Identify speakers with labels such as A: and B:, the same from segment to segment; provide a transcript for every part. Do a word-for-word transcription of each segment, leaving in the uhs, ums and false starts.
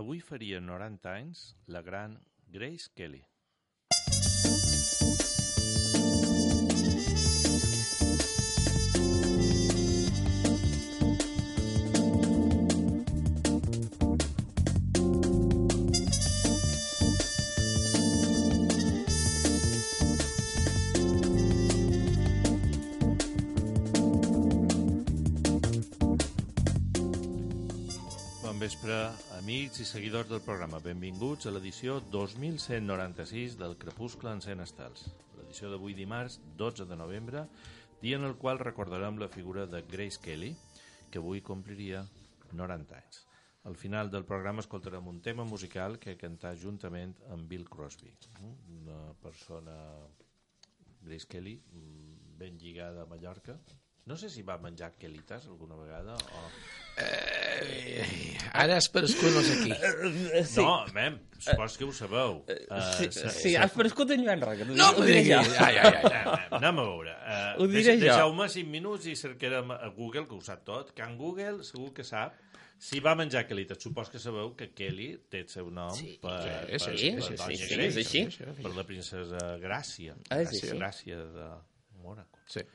A: avui faria noranta anys la gran Grace Kelly. Bon vespre, amics i seguidors del programa. Benvinguts a l'edició dos mil cent noranta-sis del Crepuscle en cent estels. L'edició d'avui dimarts, dotze de novembre, dia en el qual recordarem la figura de Grace Kelly, que avui compliria noranta anys. Al final del programa escoltarem un tema musical que cantà juntament amb Bill Crosby, una persona, Grace Kelly, ben lligada a Mallorca. No sé si va menjar quelites alguna vegada o...
B: Eh, ara has prescut no sé qui.
A: Sí. No, mem, supos que ho sabeu. Uh,
C: sí,
A: sa,
C: sí
A: sa...
C: has prescut en Joan Roca.
B: No m'ho diguis. Ai, ai, ai.
A: Mem, anem a veure. Uh,
C: Ho diré jo.
A: Deixeu-me cinc minuts i cercarem a Google, que ho sap tot. Can Google segur que sap si va menjar quelites. Supos que sabeu que Kelly té el seu nom
B: sí,
A: per,
B: sí,
A: per,
B: sí,
A: per,
B: sí,
A: per,
B: sí,
C: sí, és així.
A: per la princesa Gràcia.
C: Ah, és
A: Gràcia,
C: així.
A: Gràcia de Mònaco.
B: Sí.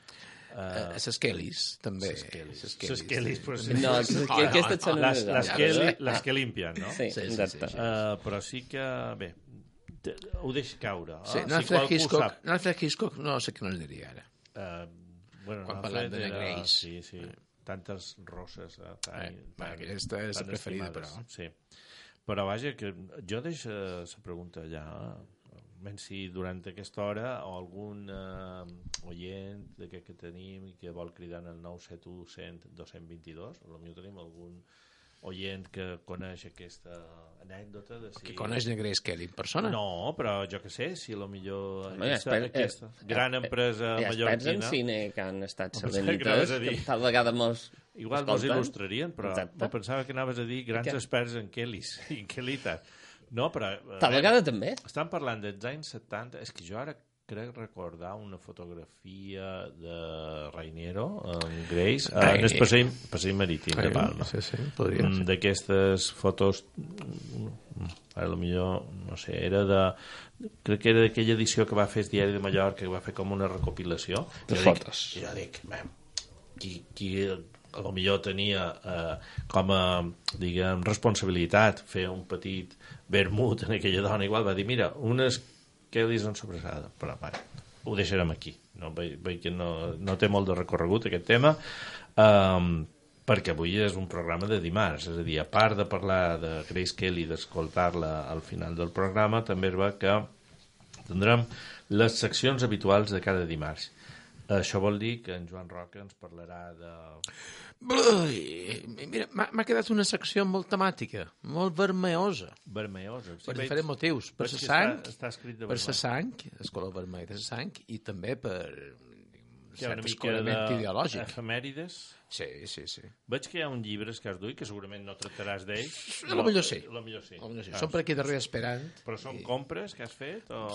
A: Uh,
B: Les Kellys, també.
A: Les Kellys.
B: Les
A: Les Kellys, però sí.
C: No, que, que aquestes són
A: Les,
C: unes
A: les,
C: altres.
A: que, les que limpien, no?
C: Sí,
B: Sí, sí,
C: exacte.
B: sí, sí.
A: Uh, però sí que, bé, te- ho deixo caure.
B: Sí,
A: Ah,
B: no,
A: si qualcú
B: Hitchcock,
A: sap.
B: no, Hitchcock, no sé què no es diria ara.
A: Uh, bueno,
B: Quan
A: no,
B: parlem de
A: era-
B: Grace.
A: Sí, sí. Tantes rosses. Eh, tan,
B: Eh,
A: tan,
B: aquesta és la
A: tan
B: preferida,
A: estimades.
B: però.
A: Sí. Però vaja, que jo deixo la pregunta allà, menys si durant aquesta hora o algun uh, oient d'aquest que tenim i que vol cridar en el nou set u cent dos cents vint-i-dos, potser tenim algun oient que coneix aquesta anècdota de si...
B: Que coneix de Grace Kelly en persona?
A: No, però jo que sé, si a lo millor
C: Home,
A: aquesta,
C: esper-
A: aquesta
C: eh,
A: gran
C: eh,
A: empresa
C: Hi ha experts en
A: mallorquina...
C: cine que han estat
A: Em pensava que
C: sabenites,
A: anaves a
C: que
A: dir.
C: tal vegada mos
A: Igual mos
C: escolten.
A: il·lustrarien, però
C: Exacte.
A: me pensava que anaves a dir grans
C: Què?
A: experts en Kellys i en Kellitas. No, però... eh,
C: Tal vegada també.
A: Estan parlant dels anys setanta... És que jo ara crec recordar una fotografia de Rainiero, en Grace, eh, en el passeig, passeig marítim de Palma.
B: Sí, sí, podria
A: Mm,
B: ser.
A: d'aquestes fotos, mm, a lo millor, no sé, era de... Crec que era d'aquella edició que va fer el Diari de Mallorca, que va fer com una recopilació.
C: De
A: Jo
C: fotos.
A: Dic, jo dic, mem, qui, qui a lo millor tenia eh, com a, diguem, responsabilitat fer un petit vermut en aquella dona, igual va dir, mira, unes Kellys en sobrassada, però bueno, ho deixarem aquí. No, veig, veig que no, no té molt de recorregut aquest tema, um, perquè avui és un programa de dimarts, és a dir, a part de parlar de Grace Kelly, d'escoltar-la al final del programa, també es va que tindrem les seccions habituals de cada dimarts. Això vol dir que en Joan Roca ens parlarà de...
B: Ui, mira, m'ha m'ha quedat una secció molt temàtica, molt vermellosa,
A: vermellosa. Sí,
B: per
A: veig-
B: diferents motius. Per
A: veig
B: la
A: que
B: sang,
A: Està, està escrit de
B: per la
A: vermell.
B: sang, el color vermell de la sang, i també per
A: Hi ha una
B: cert
A: mica
B: escorament ideològic.
A: d'efemèrides.
B: Sí, sí, sí.
A: Veig que hi ha un llibre que has duit, que segurament no tractaràs d'ells.
B: A lo millor sí.
A: A lo millor sí.
B: A lo millor sí.
A: Ah,
B: Som per aquí darrere esperant.
A: Però són compres que has fet? O...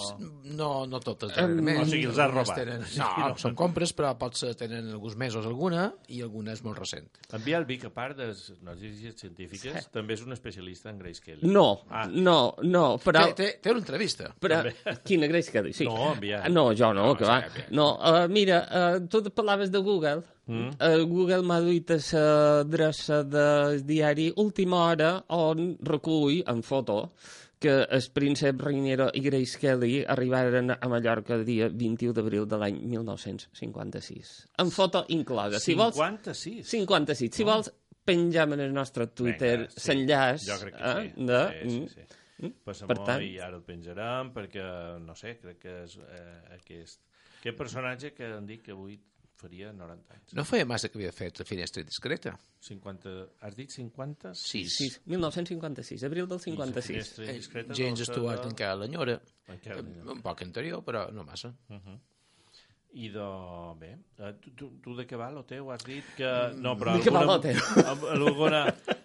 B: No, no totes,
C: Em,
B: darrerament.
A: o sigui, els has
B: Algunes
A: robat.
B: Tenen...
A: Sí,
B: No,
A: no.
B: són compres, però potser tenen alguns mesos alguna i alguna és molt recent.
A: En Biel Vic, a part de les notícies científiques,
C: Sí.
A: també és un especialista en Grace Kelly.
C: No,
A: Ah.
C: no, no, però...
B: Té, té, té una entrevista.
C: Però, quina Grace Kelly? Sí.
A: No, enviat.
C: No, jo no,
B: No,
C: que va.
B: sí, enviat.
C: No, uh, mira, uh, tu parlaves de Google. Mm. Uh, Google m'ha duit a l'adreça del diari Última Hora on recull en foto que el príncep Rainiero i Grace Kelly arribaren a Mallorca el dia vint-i-u d'abril de l'any mil nou-cents cinquanta-sis. En foto inclosa. Si vols,
A: cinquanta-sis?
C: cinquanta-sis. Si vols, penjam en el nostre Twitter
A: Vinga, sí.
C: l'enllaç.
A: Jo crec que sí.
C: eh, de...
A: sí, sí, sí. Passem
C: Per tant-
A: i ara el penjarem perquè, no sé, crec que és eh, aquest, aquest personatge que han dit que avui faria noranta anys.
B: No feia massa que havia fet la finestra discreta.
A: cinquanta, has dit cinquanta?
B: Sí.
C: Sí, mil nou-cents cinquanta-sis, abril del cinquanta-sis.
A: Finestra discreta
B: James
A: del
B: Stewart
A: de-
B: encara l'enyora.
A: Encara l'enyora.
B: Un poc anterior, però no massa.
A: I de... Bé, eh, tu, tu, tu de què va lo teu? Has dit que... No, però
C: De què va
A: alguna-
C: lo teu?
A: Alguna...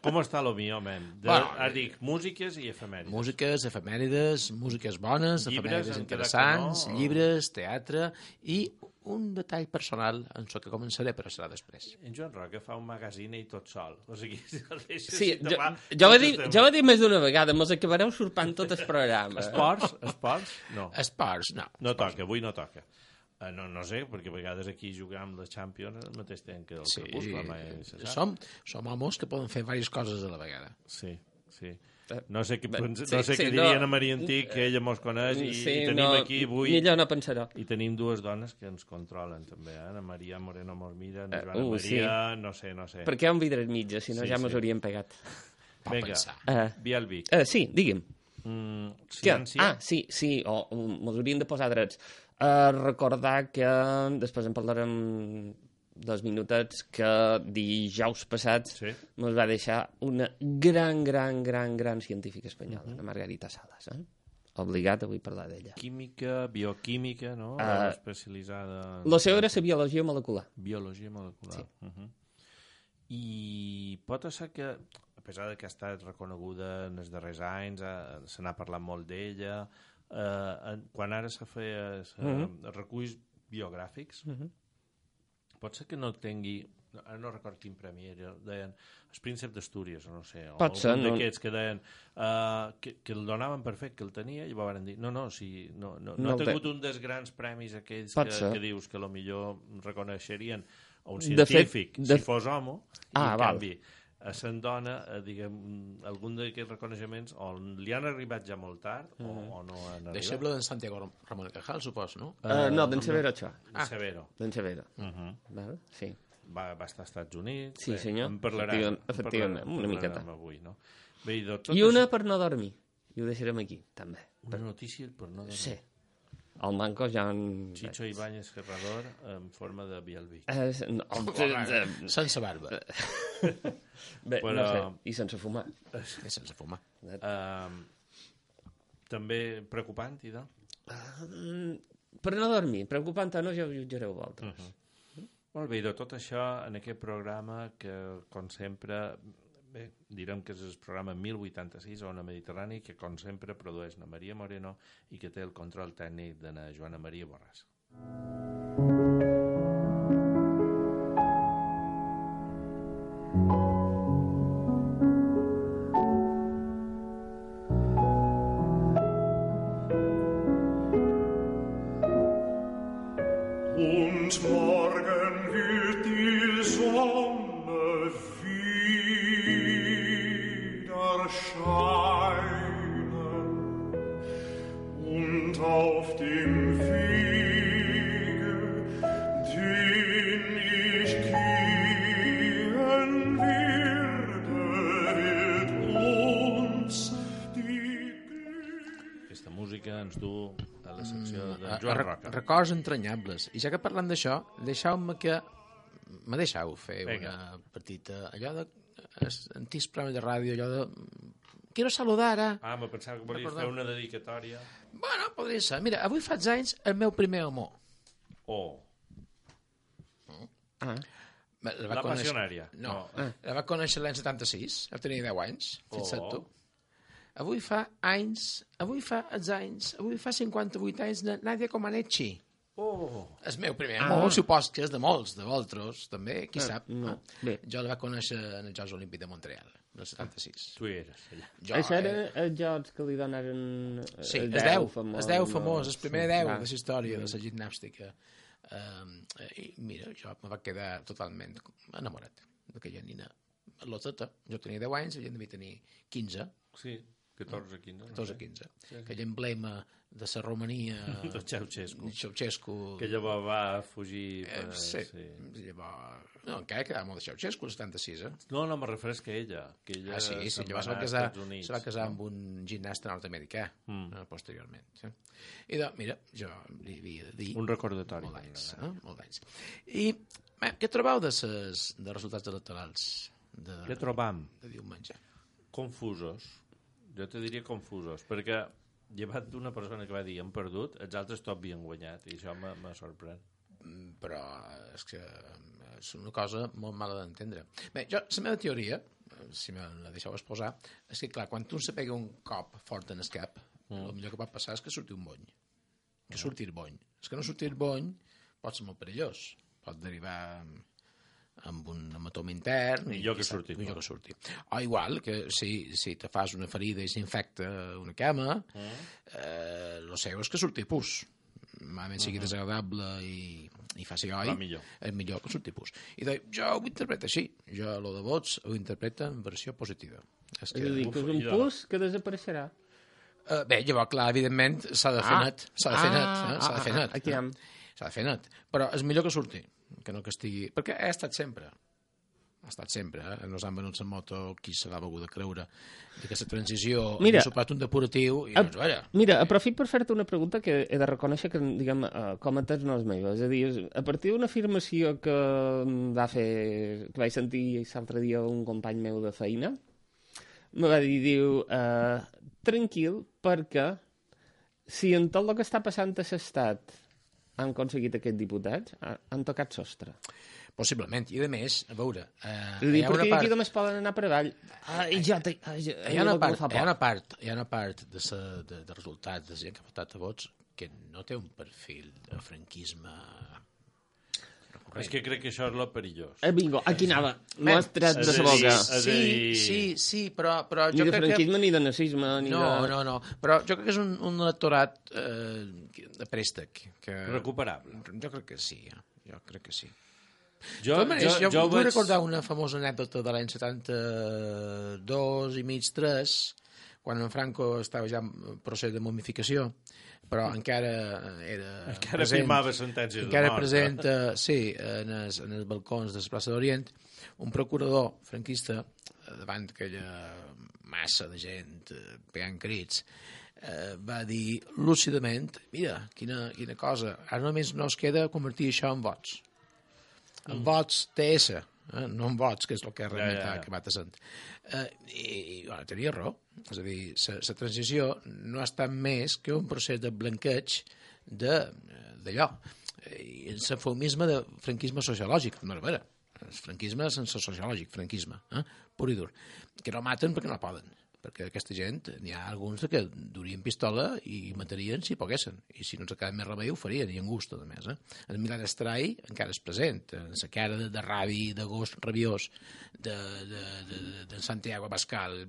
A: Com està lo mío, men? De,
B: Bueno,
A: has dit músiques i efemèrides.
B: Músiques, efemèrides, músiques bones,
A: Llibres,
B: efemèrides
A: encara
B: interessants,
A: que no, o-
B: llibres, teatre i un detall personal en el que començaré, però serà després.
A: En Joan Roca fa un magazine i tot sol. O sigui,
C: sí, jo, jo, ho he dit, jo ho he dit més d'una vegada, mos acabareu surpant tot el programa.
A: Esports? Esports? No.
B: Esports, no.
A: No toca, avui no toca. Uh, no, no sé, perquè a vegades aquí jugar amb la Champions al mateix temps que el
B: sí,
A: Crepuscle. Sí.
B: Som, som homes que poden fer diverses coses a la vegada.
A: Sí, sí. No sé què,
C: Bé,
A: no
C: sí,
A: sé
C: sí,
A: què dirien
C: no.
A: a Maria Antic, que ella mos coneix, i,
C: sí,
A: i tenim
C: no,
A: aquí avui...
C: Millor no pensarà.
A: I tenim dues dones que ens controlen, també, eh? Ana Maria Moreno mos mira, Joana
C: uh,
A: Maria,
C: sí.
A: no sé, no sé.
C: Perquè hi ha un vidre mitja, si no
A: sí,
C: ja mos
A: sí.
C: hauríem pegat.
A: Vinga,
C: uh,
A: Bielvik.
C: Uh, sí, digui'm.
A: Mm, ciència?
C: Ah, sí, sí, o oh, mos haurien de posar drets. Uh, recordar que després en parlarem dos minutets que dijous passats
A: sí.
C: mos va deixar una gran, gran, gran, gran científica espanyola, uh -huh. la Margarita Salas. Eh? Obligat avui parlar d'ella.
A: Química, bioquímica, no?
C: Uh,
A: especialitzada...
C: Lo seu era la biologia molecular.
A: Biologia molecular.
C: Sí.
A: Uh -huh. I pot ser que, a pesar de que ha estat reconeguda en els darrers anys, eh, se n'ha parlat molt d'ella, eh, quan ara se feia uh -huh. reculls biogràfics, uh -huh. pot ser que no tingui, ara no recordo quin premi era, deien els prínceps d'Astúries, o no sé, o
C: pot ser,
A: algun
C: no?
A: d'aquests que deien uh, que, que el donaven per fet, que el tenia, i van dir, no, no, si, no, no, no, no ha tingut te... un dels grans premis aquells que, que dius que potser reconeixerien a un científic, de fet, de... si fos home, ah, i en val. canvi a Sant Dona, eh, diguem, algun d'aquests reconeixements o li han arribat ja molt tard uh -huh. o, o no han arribat.
B: Deixeble d'en Santiago Ramon y Cajal, supos, no?
C: Uh, no, d'en Severo, això.
A: Ah. Severo.
C: D'en Severo.
A: Uh -huh.
C: Val? Sí.
A: Va, va estar als Estats Units.
C: Sí, senyor.
A: En parlarem.
C: Efectivament, efectivament
A: en
C: una miqueta.
A: Avui, no? Bé, i, tot
C: I una això... per no dormir. I ho deixarem aquí, també.
A: Una per... notícia per no dormir.
C: Sí. El manco ja en...
A: Chicho Ibáñez Ferrador en forma de Bielvik.
C: Eh, no,
B: oh, sense barba.
C: Bé,
A: Però...
C: no sé, i sense fumar.
B: I sense fumar.
A: Uh, també preocupant, i de?
C: Uh, per no dormir, preocupant o no, ja ho jutjareu vosaltres. Uh
A: -huh. Molt bé, i de tot això, en aquest programa que, com sempre, bé, direm que és el programa mil vuitanta-sis a Ona Mediterrani, que, com sempre, produeix na Maria Moreno i que té el control tècnic de na Joana Maria Borràs.
D: Und morgen wird die Sonne wieder scheinen und auf dem Wege, den ich gehen werde, wird uns die
A: Aquesta música ens du a la secció de Joan Roca.
B: Records entranyables. I ja que parlant d'això, deixeu-me que... Me deixeu fer
A: Venga.
B: una petita... Allò de... Antics programes de ràdio, allò de... Quiero saludar a...
A: Ah, me pensava que volies fer una dedicatòria.
B: Bueno, podria ser. Mira, avui faig anys el meu primer amor.
A: Oh.
C: Ah.
B: La,
A: la passionària.
B: No,
A: no.
B: Ah. La va conèixer l'any setanta-sis, ja tenia deu anys, fixa't
A: oh.
B: tu. Avui fa anys, avui fa els anys, avui fa cinquanta-vuit anys de Nadia Comaneci.
A: Oh.
B: El meu primer amor, ah. supos que és de molts, de vosaltres, també, qui
C: ah,
B: sap.
C: No.
B: Bé. Jo la va conèixer en els Jocs Olímpics de Montreal, el setanta-sis.
A: Tu hi eres, allà.
C: Jo, Això era eh... els jocs que li donaren...
B: Sí, els deu, els deu famós, el primer deu de la història de la gimnàstica. Um, I mira, jo me va quedar totalment enamorat d'aquella nina loteta. Jo tenia deu anys, ella devia tenir quinze.
A: Sí, catorze, quinze.
B: catorze, quinze. Sí, sí. Aquell emblema de la Romania...
A: de Ceausescu.
B: Ceausescu.
A: Que llavors va fugir... Per...
B: Eh, sí. sí. Llavors... No, encara quedava molt de Ceausescu, el setanta-sis, eh?
A: No, no, me refereix que ella. Que ella
B: ah, sí, sí. Llavors se va casar, se va casar amb un gimnasta nord-americà, mm. eh, posteriorment. Sí. I doncs, mira, jo li havia de dir...
A: Un recordatori.
B: Molt d'anys, eh? Molt d'anys. I eh, què trobeu de ses, de resultats electorals? De,
A: què trobam?
B: De diumenge.
A: Confusos. Jo te diria confusos, perquè llevat d'una persona que va dir hem perdut, els altres tot havien guanyat, i això me sorprèn.
B: Però és que és una cosa molt mala d'entendre. Bé, jo, la meva teoria, si me la deixeu exposar, és que, clar, quan tu se pega un cop fort en el cap, mm. el millor que pot passar és que surti un bony. Que surti el bony. És que no surti el bony, pot ser molt perillós. Pot derivar amb un hematoma intern.
A: Millor que surti.
B: Millor que surti. O igual que si, si te fas una ferida i s'infecta una cama, mm. eh, lo seu és que surti pus. Malament sigui uh-huh. desagradable i, i faci oi,
A: millor.
B: és millor que surti pus. I de, jo ho interpreto així. Jo, lo de vots, ho interpreto en versió positiva.
C: És, que... és a dir, que és un pus que desapareixerà.
B: Uh, bé, llavors, clar, evidentment, s'ha de fer
C: ah.
B: net. S'ha de fer net. Eh? S'ha de fer net.
C: Ah, aquí hem.
B: S'ha de fer net. Però és millor que surti, que no que estigui... Perquè ha estat sempre. Ha estat sempre, eh? Nos han venut la moto, qui se l'ha begut a creure, d'aquesta transició,
C: mira,
B: ha sopat un depuratiu i no ens veia.
C: Mira, aprofit per fer-te una pregunta que he de reconèixer que, diguem, uh, com a tens no és meva. És a dir, a partir d'una afirmació que va fer, que vaig sentir l'altre dia un company meu de feina, me va dir, diu, uh, tranquil, perquè si en tot el que està passant a l'estat han aconseguit aquests diputats, han tocat sostre.
B: Possiblement, i a més, a veure... Eh,
C: dir, perquè part... aquí només poden anar per avall. Ah, ja te... ah, ja...
B: Hi ha una part, hi ha una part, hi ha una part de, sa, de, de resultats de gent que ha votat a vots que no té un perfil de franquisme recurrent.
A: És que crec que això és lo perillós.
C: Eh, bingo, aquí anava. M'ho has tret de la boca.
B: Sí, sí, sí, però, però jo
C: ni de
B: crec
C: franquisme
B: que...
C: ni de nazisme. Ni
B: no,
C: de...
B: no, no, però jo crec que és un, un electorat eh, de préstec. Que...
A: Recuperable.
B: Jo crec que sí, jo crec que sí.
A: Jo,
B: manera,
A: jo,
B: jo,
A: jo
B: vull
A: vaig...
B: recordar una famosa anècdota de l'any setanta-dos i mig, tres, quan en Franco estava ja en procés de momificació, però encara era
A: encara
B: present,
A: firmava sentències de
B: encara
A: mort.
B: present, eh, sí, en els, en els balcons de la plaça d'Orient, un procurador franquista, davant d'aquella massa de gent eh, pegant crits, eh, va dir lúcidament, mira, quina, quina cosa, ara només no es queda convertir això en vots. En mm. vots T S, eh? no en vots, que és el que realment ja, ja, ja. ha acabat sent. Eh, I, i bueno, tenia raó. És a dir, la transició no ha estat més que un procés de blanqueig d'allò. I el eufemisme de franquisme sociològic, no era vera. El franquisme sense sociològic, franquisme, eh? pur i dur. Que no maten perquè no poden. Perquè aquesta gent, n'hi ha alguns que durien pistola i matarien si poguessin. I si no ens acaba més remei ho farien, i en gust, a més. Eh? El Milan Estrai encara és present. En la cara de, de rabi, de gos rabiós, de, de, de, de Santiago Pascal,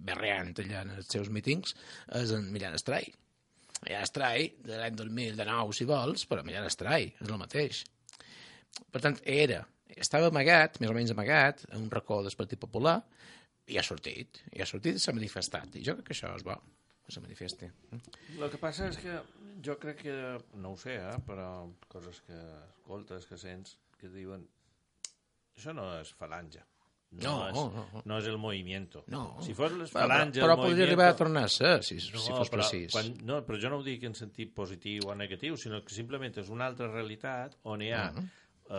B: berreant allà en els seus mítings, és en Milan Estrai. Milan Estrai, de l'any dos mil nou, si vols, però Milan Estrai, és el mateix. Per tant, era, estava amagat, més o menys amagat, en un racó del Partit Popular, i ha sortit, i ha sortit i s'ha manifestat. I jo crec que això és bo, que se manifesti.
A: El que passa és que jo crec que, no ho sé, eh, però coses que escoltes, que sents, que diuen això no és falange. No,
B: no,
A: és,
B: no, no.
A: no és el movimiento.
B: No.
A: Si fos les falange,
B: però, però
A: podria
B: arribar a tornar a ser, si,
A: no,
B: si fos
A: però,
B: precís.
A: Quan, no, però jo no ho dic en sentit positiu o negatiu, sinó que simplement és una altra realitat on hi ha uh-huh.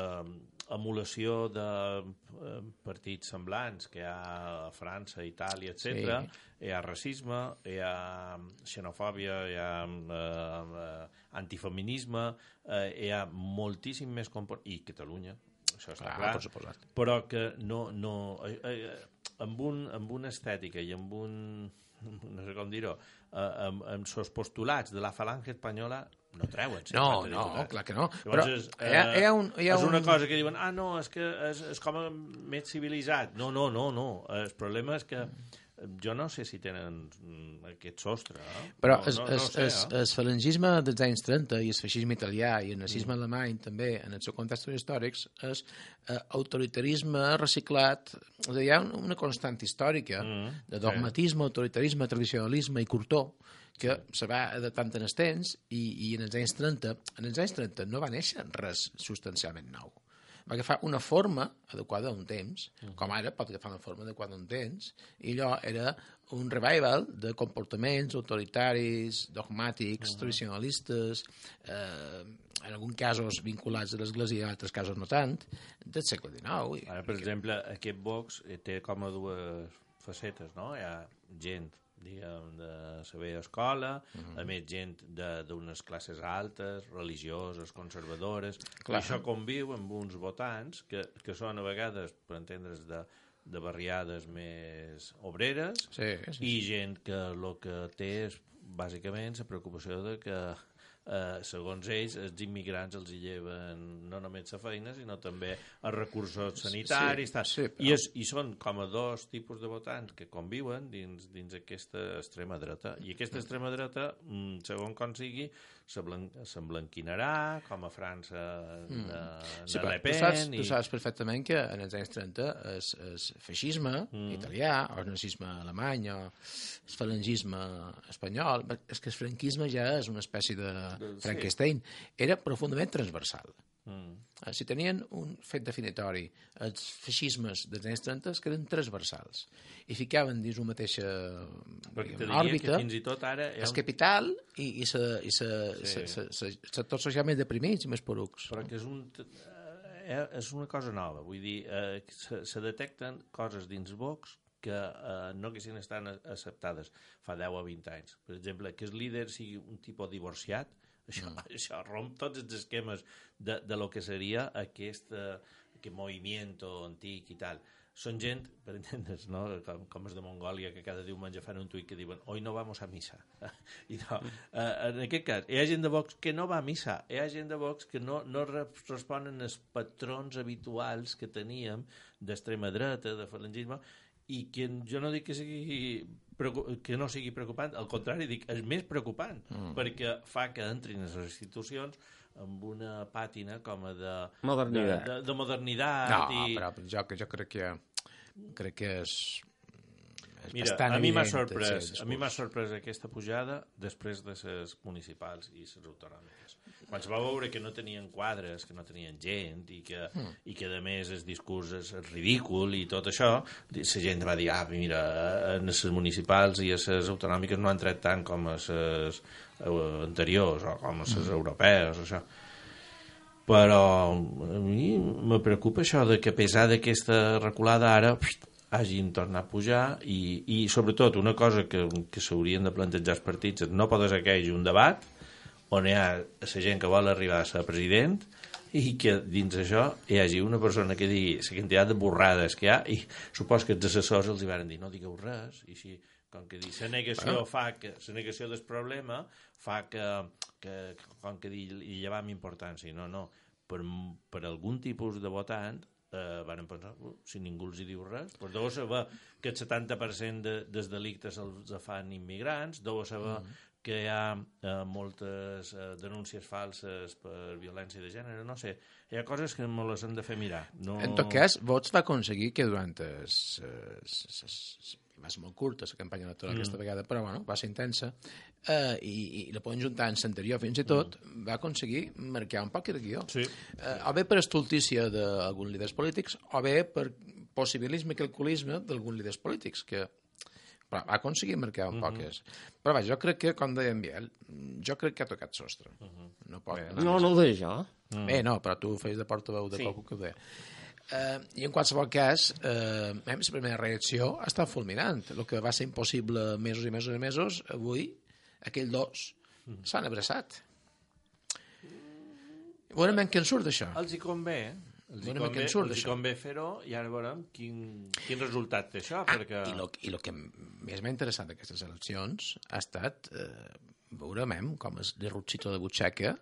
A: eh, emulació de eh, partits semblants que hi ha a França, Itàlia, etcètera. Sí. Hi ha racisme, hi ha xenofòbia, hi ha eh, eh, antifeminisme, eh, hi ha moltíssim més comport... i Catalunya, això està clar,
B: clar
A: però que no, no eh, eh, amb, un, amb una estètica i amb un, no sé com dir-ho, eh, amb, amb els postulats de la falange espanyola no treuen.
B: No, no, clar que no.
A: Llavors
B: però
A: és, eh,
B: hi ha, hi ha un, hi ha
A: és una
B: un...
A: cosa que diuen, ah, no, és que és, és com més civilitzat. No, no, no, no. El problema és que jo no sé si tenen aquest sostre. Eh?
B: Però
A: no,
B: el,
A: no,
B: el,
A: no sé,
B: el,
A: eh?
B: el falangisme dels anys trenta i el feixisme italià i el nazisme mm. alemany també, en els seus contextos històrics, és eh, autoritarisme reciclat. És a dir, hi ha una constant històrica mm. de dogmatisme, sí. autoritarisme, tradicionalisme i curtó que se va adaptant en els temps i, i en els anys trenta, en els anys trenta no va néixer res substancialment nou. Va agafar una forma adequada a un temps, uh-huh. com ara pot agafar una forma adequada a un temps, i allò era un revival de comportaments autoritaris, dogmàtics, uh-huh. tradicionalistes, eh, en alguns casos vinculats a l'Església i en altres casos no tant, del segle dinou.
A: Ara, per exemple, aquest Vox té com a dues facetes, no? Hi ha gent diguem, de saber escola, uh-huh. a més gent d'unes classes altes, religioses, conservadores, i això conviu amb uns votants que, que són a vegades, per entendre's, de, de barriades més obreres,
B: sí, sí, sí.
A: i gent que el que té és bàsicament la preocupació de que eh, segons ells, els immigrants els hi lleven no només la feina, sinó també els recursos sanitaris.
B: Sí, sí, però...
A: I, és, I són com a dos tipus de votants que conviuen dins, dins aquesta extrema dreta. I aquesta extrema dreta, segons com sigui, s'emblanquinarà, com a França de, de
B: sí,
A: Le Pen.
B: Tu saps,
A: i...
B: tu saps perfectament que en els anys trenta el, el feixisme mm. italià, o el nazisme alemany, o el falangisme espanyol, és que el franquisme ja és una espècie de Frankenstein, era profundament transversal. Mm. Si tenien un fet definitori, els feixismes dels anys trenta que eren transversals i ficaven dins una mateixa òrbita
A: fins i tot ara
B: el un... capital i, i, sa, i sa, sí. sa, sa, sa, sectors socials més deprimits i més porucs.
A: Però que és, un, eh, és una cosa nova, vull dir, eh, se, se detecten coses dins Vox que eh, no haguessin estat acceptades fa deu o vint anys. Per exemple, que el líder sigui un tipus divorciat. Això, mm. això romp tots els esquemes de, de lo que seria aquest, uh, aquest moviment antic i tal. Són gent, per entendre's, no? com, com els de Mongòlia, que cada diumenge fan un tuit que diuen «Hoy no vamos a misa». I no, uh, en aquest cas, hi ha gent de Vox que no va a misa, hi ha gent de Vox que no, no responen als patrons habituals que teníem d'extrema dreta, de falangisme, i que jo no dic que sigui que no sigui preocupant, al contrari, dic, és més preocupant, mm. perquè fa que entrin les institucions amb una pàtina com a de
C: modernitat.
A: De, de, de modernitat
B: no,
A: i...
B: però jo, jo crec que crec que és, és
A: Mira,
B: bastant
A: a mi m'ha
B: evident,
A: sorprès,
B: sí,
A: a mi m'ha sorprès aquesta pujada després de les municipals i les autonòmiques. Quan se va veure que no tenien quadres, que no tenien gent i que, mm. i que a més el discurs és ridícul i tot això, la gent va dir, ah, mira, en les municipals i a les autonòmiques no han tret tant com a les anteriors o com a les mm. europees, això. Però a mi me preocupa això de que a pesar d'aquesta reculada ara hagin tornat a pujar i, i sobretot una cosa que, que s'haurien de plantejar els partits és no poder ser que hi hagi un debat on hi ha la gent que vol arribar a ser president i que dins això hi hagi una persona que digui la quantitat de borrades que hi ha i supos que els assessors els hi van dir no digueu res i així com que dir, la negació ah. fa que la negació del problema fa que, que com que dir, hi llevam importància no, no, per, per algun tipus de votant eh, van pensar, uh, si ningú els hi diu res doncs deu saber que el setanta per cent de, dels delictes els fan immigrants, deu saber mm. que hi ha eh, moltes eh, denúncies falses per violència de gènere, no sé, hi ha coses que me les hem de fer mirar. No...
B: En tot cas, Vox va aconseguir que durant es, es, es, es, va ser molt curta la campanya electoral mm. aquesta vegada, però bueno, va ser intensa, eh, i, i la poden juntar en l'anterior fins i tot, mm. va aconseguir marcar un poc de guió. Sí. Eh, o bé per estultícia d'alguns líders polítics, o bé per possibilisme i calculisme d'alguns líders polítics, que però va aconseguir marcar un mm-hmm. poques. Però vaja, jo crec que, com deia en Biel, jo crec que ha tocat sostre. Mm-hmm. No pot anar
C: No, no ho deia jo.
B: Mm. Bé, no, però tu feies de portaveu de sí. qualcú que ho deia. Uh, I en qualsevol cas, uh, la primera reacció ha estat fulminant. El que va ser impossible mesos i mesos i mesos, avui, aquells dos mm. s'han abraçat. Veurem en què en surt d'això.
A: Els hi convé, eh? Els hi convé, els hi convé fer-ho i ara veurem quin, quin resultat té això.
B: Ah,
A: perquè...
B: I el que més m'ha interessat d'aquestes eleccions ha estat eh, veurem com el derrotxito de butxaca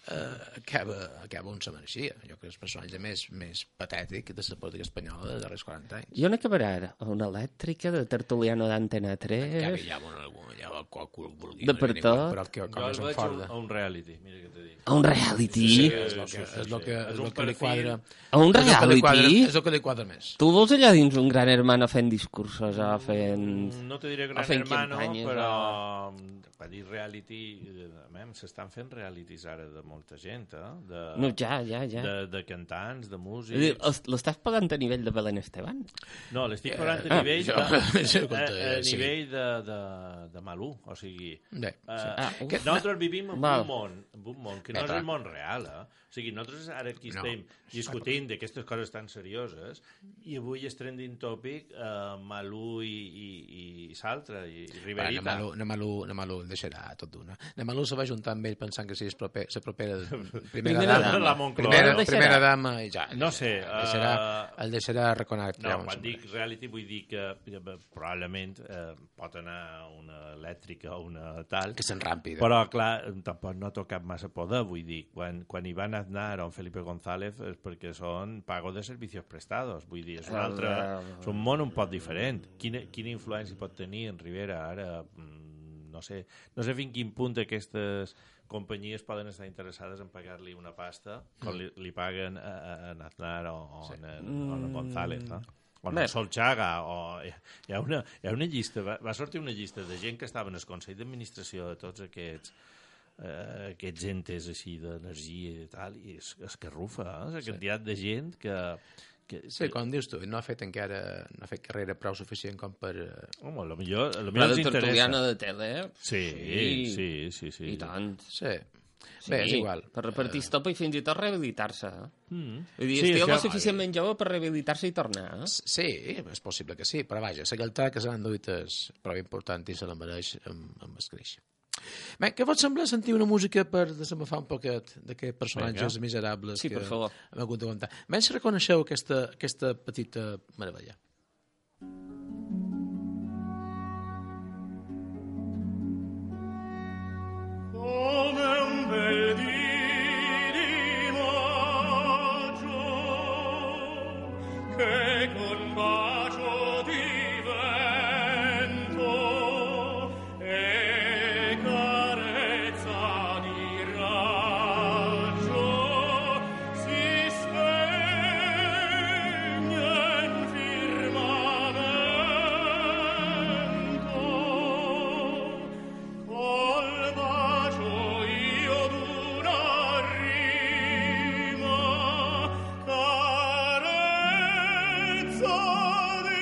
B: eh, acaba, acaba on se mereixia. Jo crec que és el personatge més, més patètic de la política espanyola dels darrers quaranta anys.
C: I on acabarà ara? Una elèctrica de tertuliano d'Antena tres?
B: Acaba ja amb una, ja el qual vulgui.
C: De per tot?
B: Però que, com
A: jo el veig
B: forda.
A: a un reality, mira què t'he dit.
C: A un reality?
B: Sí, és el que, és lo que, és lo que li quadra.
C: A un reality?
B: És el que li quadra més.
C: Tu vols allà dins un gran hermano fent discursos, o fent...
A: No te diré gran hermano, però per dir reality, s'estan fent realities ara de molta gent, eh? De,
C: no, ja, ja, ja.
A: De, de cantants, de músics...
C: L'estàs pagant a nivell de Belén Esteban?
A: No, l'estic pagant a nivell, de, a, a nivell de, de, de Malú, o sigui... Uh, ah, nosaltres vivim en un món, en un món que no és el món real, eh? O sigui, nosaltres ara aquí no. estem discutint d'aquestes coses tan serioses i avui és trending topic uh, Malú i, i, i Saltra i Riverita.
B: Bueno, Malú, Malú, Malú el deixarà tot d'una. Malú se va juntar amb ell pensant que si és la propera era primera,
C: Primera
B: dama,
A: la Moncloa.
B: primera,
C: El deixarà.
B: primera dama i ja.
A: No sé,
B: El deixarà,
A: uh,
B: el deixarà reconèixer.
A: No, quan dic reality vull dir que eh, probablement eh, pot anar una elèctrica o una tal,
B: Que s'enrampi.
A: però clar, tampoc no ha tocat massa poder, vull dir, quan, quan Iván Aznar o Felipe González és perquè són pago de servicios prestados, vull dir, és un altre, és un món un poc diferent. Quina, quina influència pot tenir en Rivera ara? No sé, no sé fins quin punt aquestes companyies poden estar interessades en pagar-li una pasta com li, li paguen a, a, a Aznar o, o, sí. a, o a González, no? O no, Solchaga, o hi ha una, hi ha una llista, va, va sortir una llista de gent que estava en el Consell d'Administració de tots aquests eh, aquests entes així d'energia i tal, i és, és que rufa, eh? La quantitat sí. de gent que... Que,
B: sí, com dius tu, no ha fet encara no ha fet carrera prou suficient com per...
A: Home, a lo millor, a lo
C: La
A: millor
C: de
A: els interessa.
C: tertuliana de tele,
A: sí, sí, sí, sí, sí.
C: I tant.
B: Sí.
C: Sí,
B: Bé, és igual.
C: Per repartir uh... estopa i fins i tot rehabilitar-se.
A: Mm.
C: Vull dir,
A: Sí,
C: estic
A: això-
C: lo suficientment jove per rehabilitar-se i tornar. Eh?
B: Sí, és possible que sí, però vaja, la galtà que se l'han duit és prou important i se la mereix amb, amb escreix. Bé, què vos sembla sentir una música per desenbufar un poquet d'aquests personatges
A: Vinga.
B: miserables
C: Sí,
B: que
C: per favor.
B: hem hagut d'aguantar? Ben si reconeixeu aquesta, aquesta petita meravella.
D: Come un bel dì di maggio che con bacio di vento e carezza di raggio si spegne in firmamento. Col bacio io d'una rima, carezza di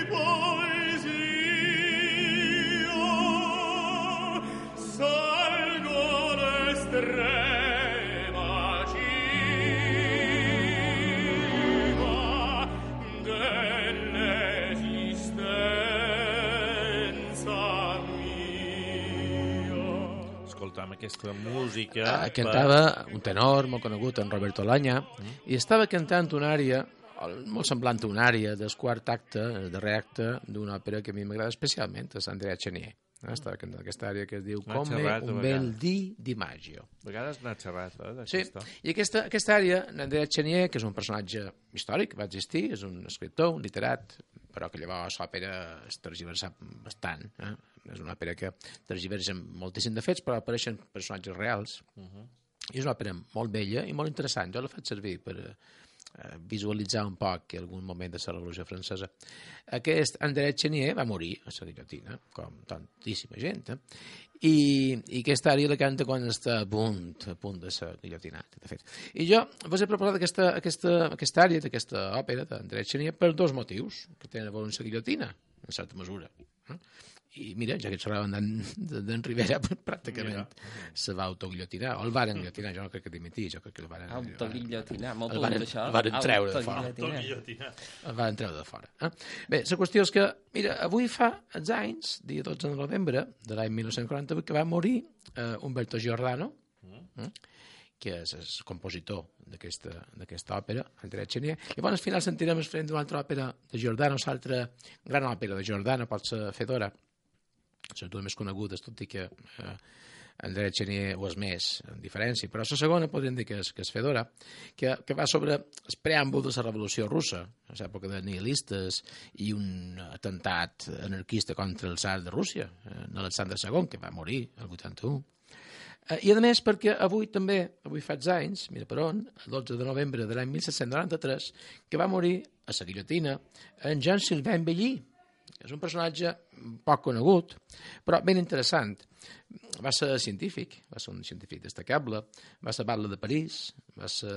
D: poesia, salgo l'estrema cima dell'esistenza mia.
A: Escoltam aquesta música...
B: Ah, cantava un tenor molt conegut, en Roberto Laña, mm. i estava cantant una àrea, molt semblant a una àrea del quart acte, el darrer acte, d'una òpera que a mi m'agrada especialment, és Andrea Chenier. Eh? Estava cantant aquesta àrea que es diu
A: N'ha
B: Come
A: xerrat,
B: un
A: a
B: bel
A: vegades.
B: di di maggio.
A: A vegades n'ha xerrat, eh,
B: Sí,
A: d'aquesta.
B: i aquesta, aquesta àrea, Andrea Chenier, que és un personatge històric, va existir, és un escriptor, un literat, però que llavors l'òpera es tergiversa bastant. Eh? És una òpera que tergiversa moltíssim de fets, però apareixen personatges reals. Uh -huh. I és una òpera molt bella i molt interessant. Jo la faig servir per eh, visualitzar un poc algun moment de la Revolució Francesa. Aquest André Chenier va morir a la guillotina, com tantíssima gent, eh? I, i aquesta àrea la canta quan està a punt, a punt de ser guillotinat, de fet. I jo vos he preparat aquesta, aquesta, aquesta àrea d'aquesta òpera d'André Chenier per dos motius que tenen a veure amb la guillotina, en certa mesura. Eh? I mira, ja que xerraven d'en Rivera, pràcticament se va autoguillotinar, o el varen guillotinar, jo no crec que dimitís, jo crec que el varen...
C: Autoguillotinar, molt
B: el
C: bon
B: varen,
C: d'això.
B: el varen treure de fora.
A: Autoguillotinar.
B: El varen treure de fora. Eh? Bé, la qüestió és que, mira, avui fa els anys, dia dotze de novembre de l'any dinou quaranta-vuit, que va morir eh, Umberto Giordano, eh? que és el compositor d'aquesta òpera, Andrea Chenier. I bueno, al final sentirem el front d'una altra òpera de Giordano, l'altra gran òpera de Giordano, pot ser Fedora, les dues més conegudes, tot i que eh, Andrea Chenier ho és més, en diferència, però la segona podríem dir que és, que és Fedora, que, que va sobre el preàmbul de la Revolució Russa, a l'època de nihilistes i un atemptat anarquista contra el tsar de Rússia, eh, Alexandre segon, que va morir el vuitanta-u. Eh, I a més perquè avui també, avui fa anys, mira per on, el dotze de novembre de l'any disset noranta-tres, que va morir a la guillotina en Jean-Sylvain Belly, és un personatge poc conegut, però ben interessant. Va ser científic, va ser un científic destacable, va ser batlle de París, va ser,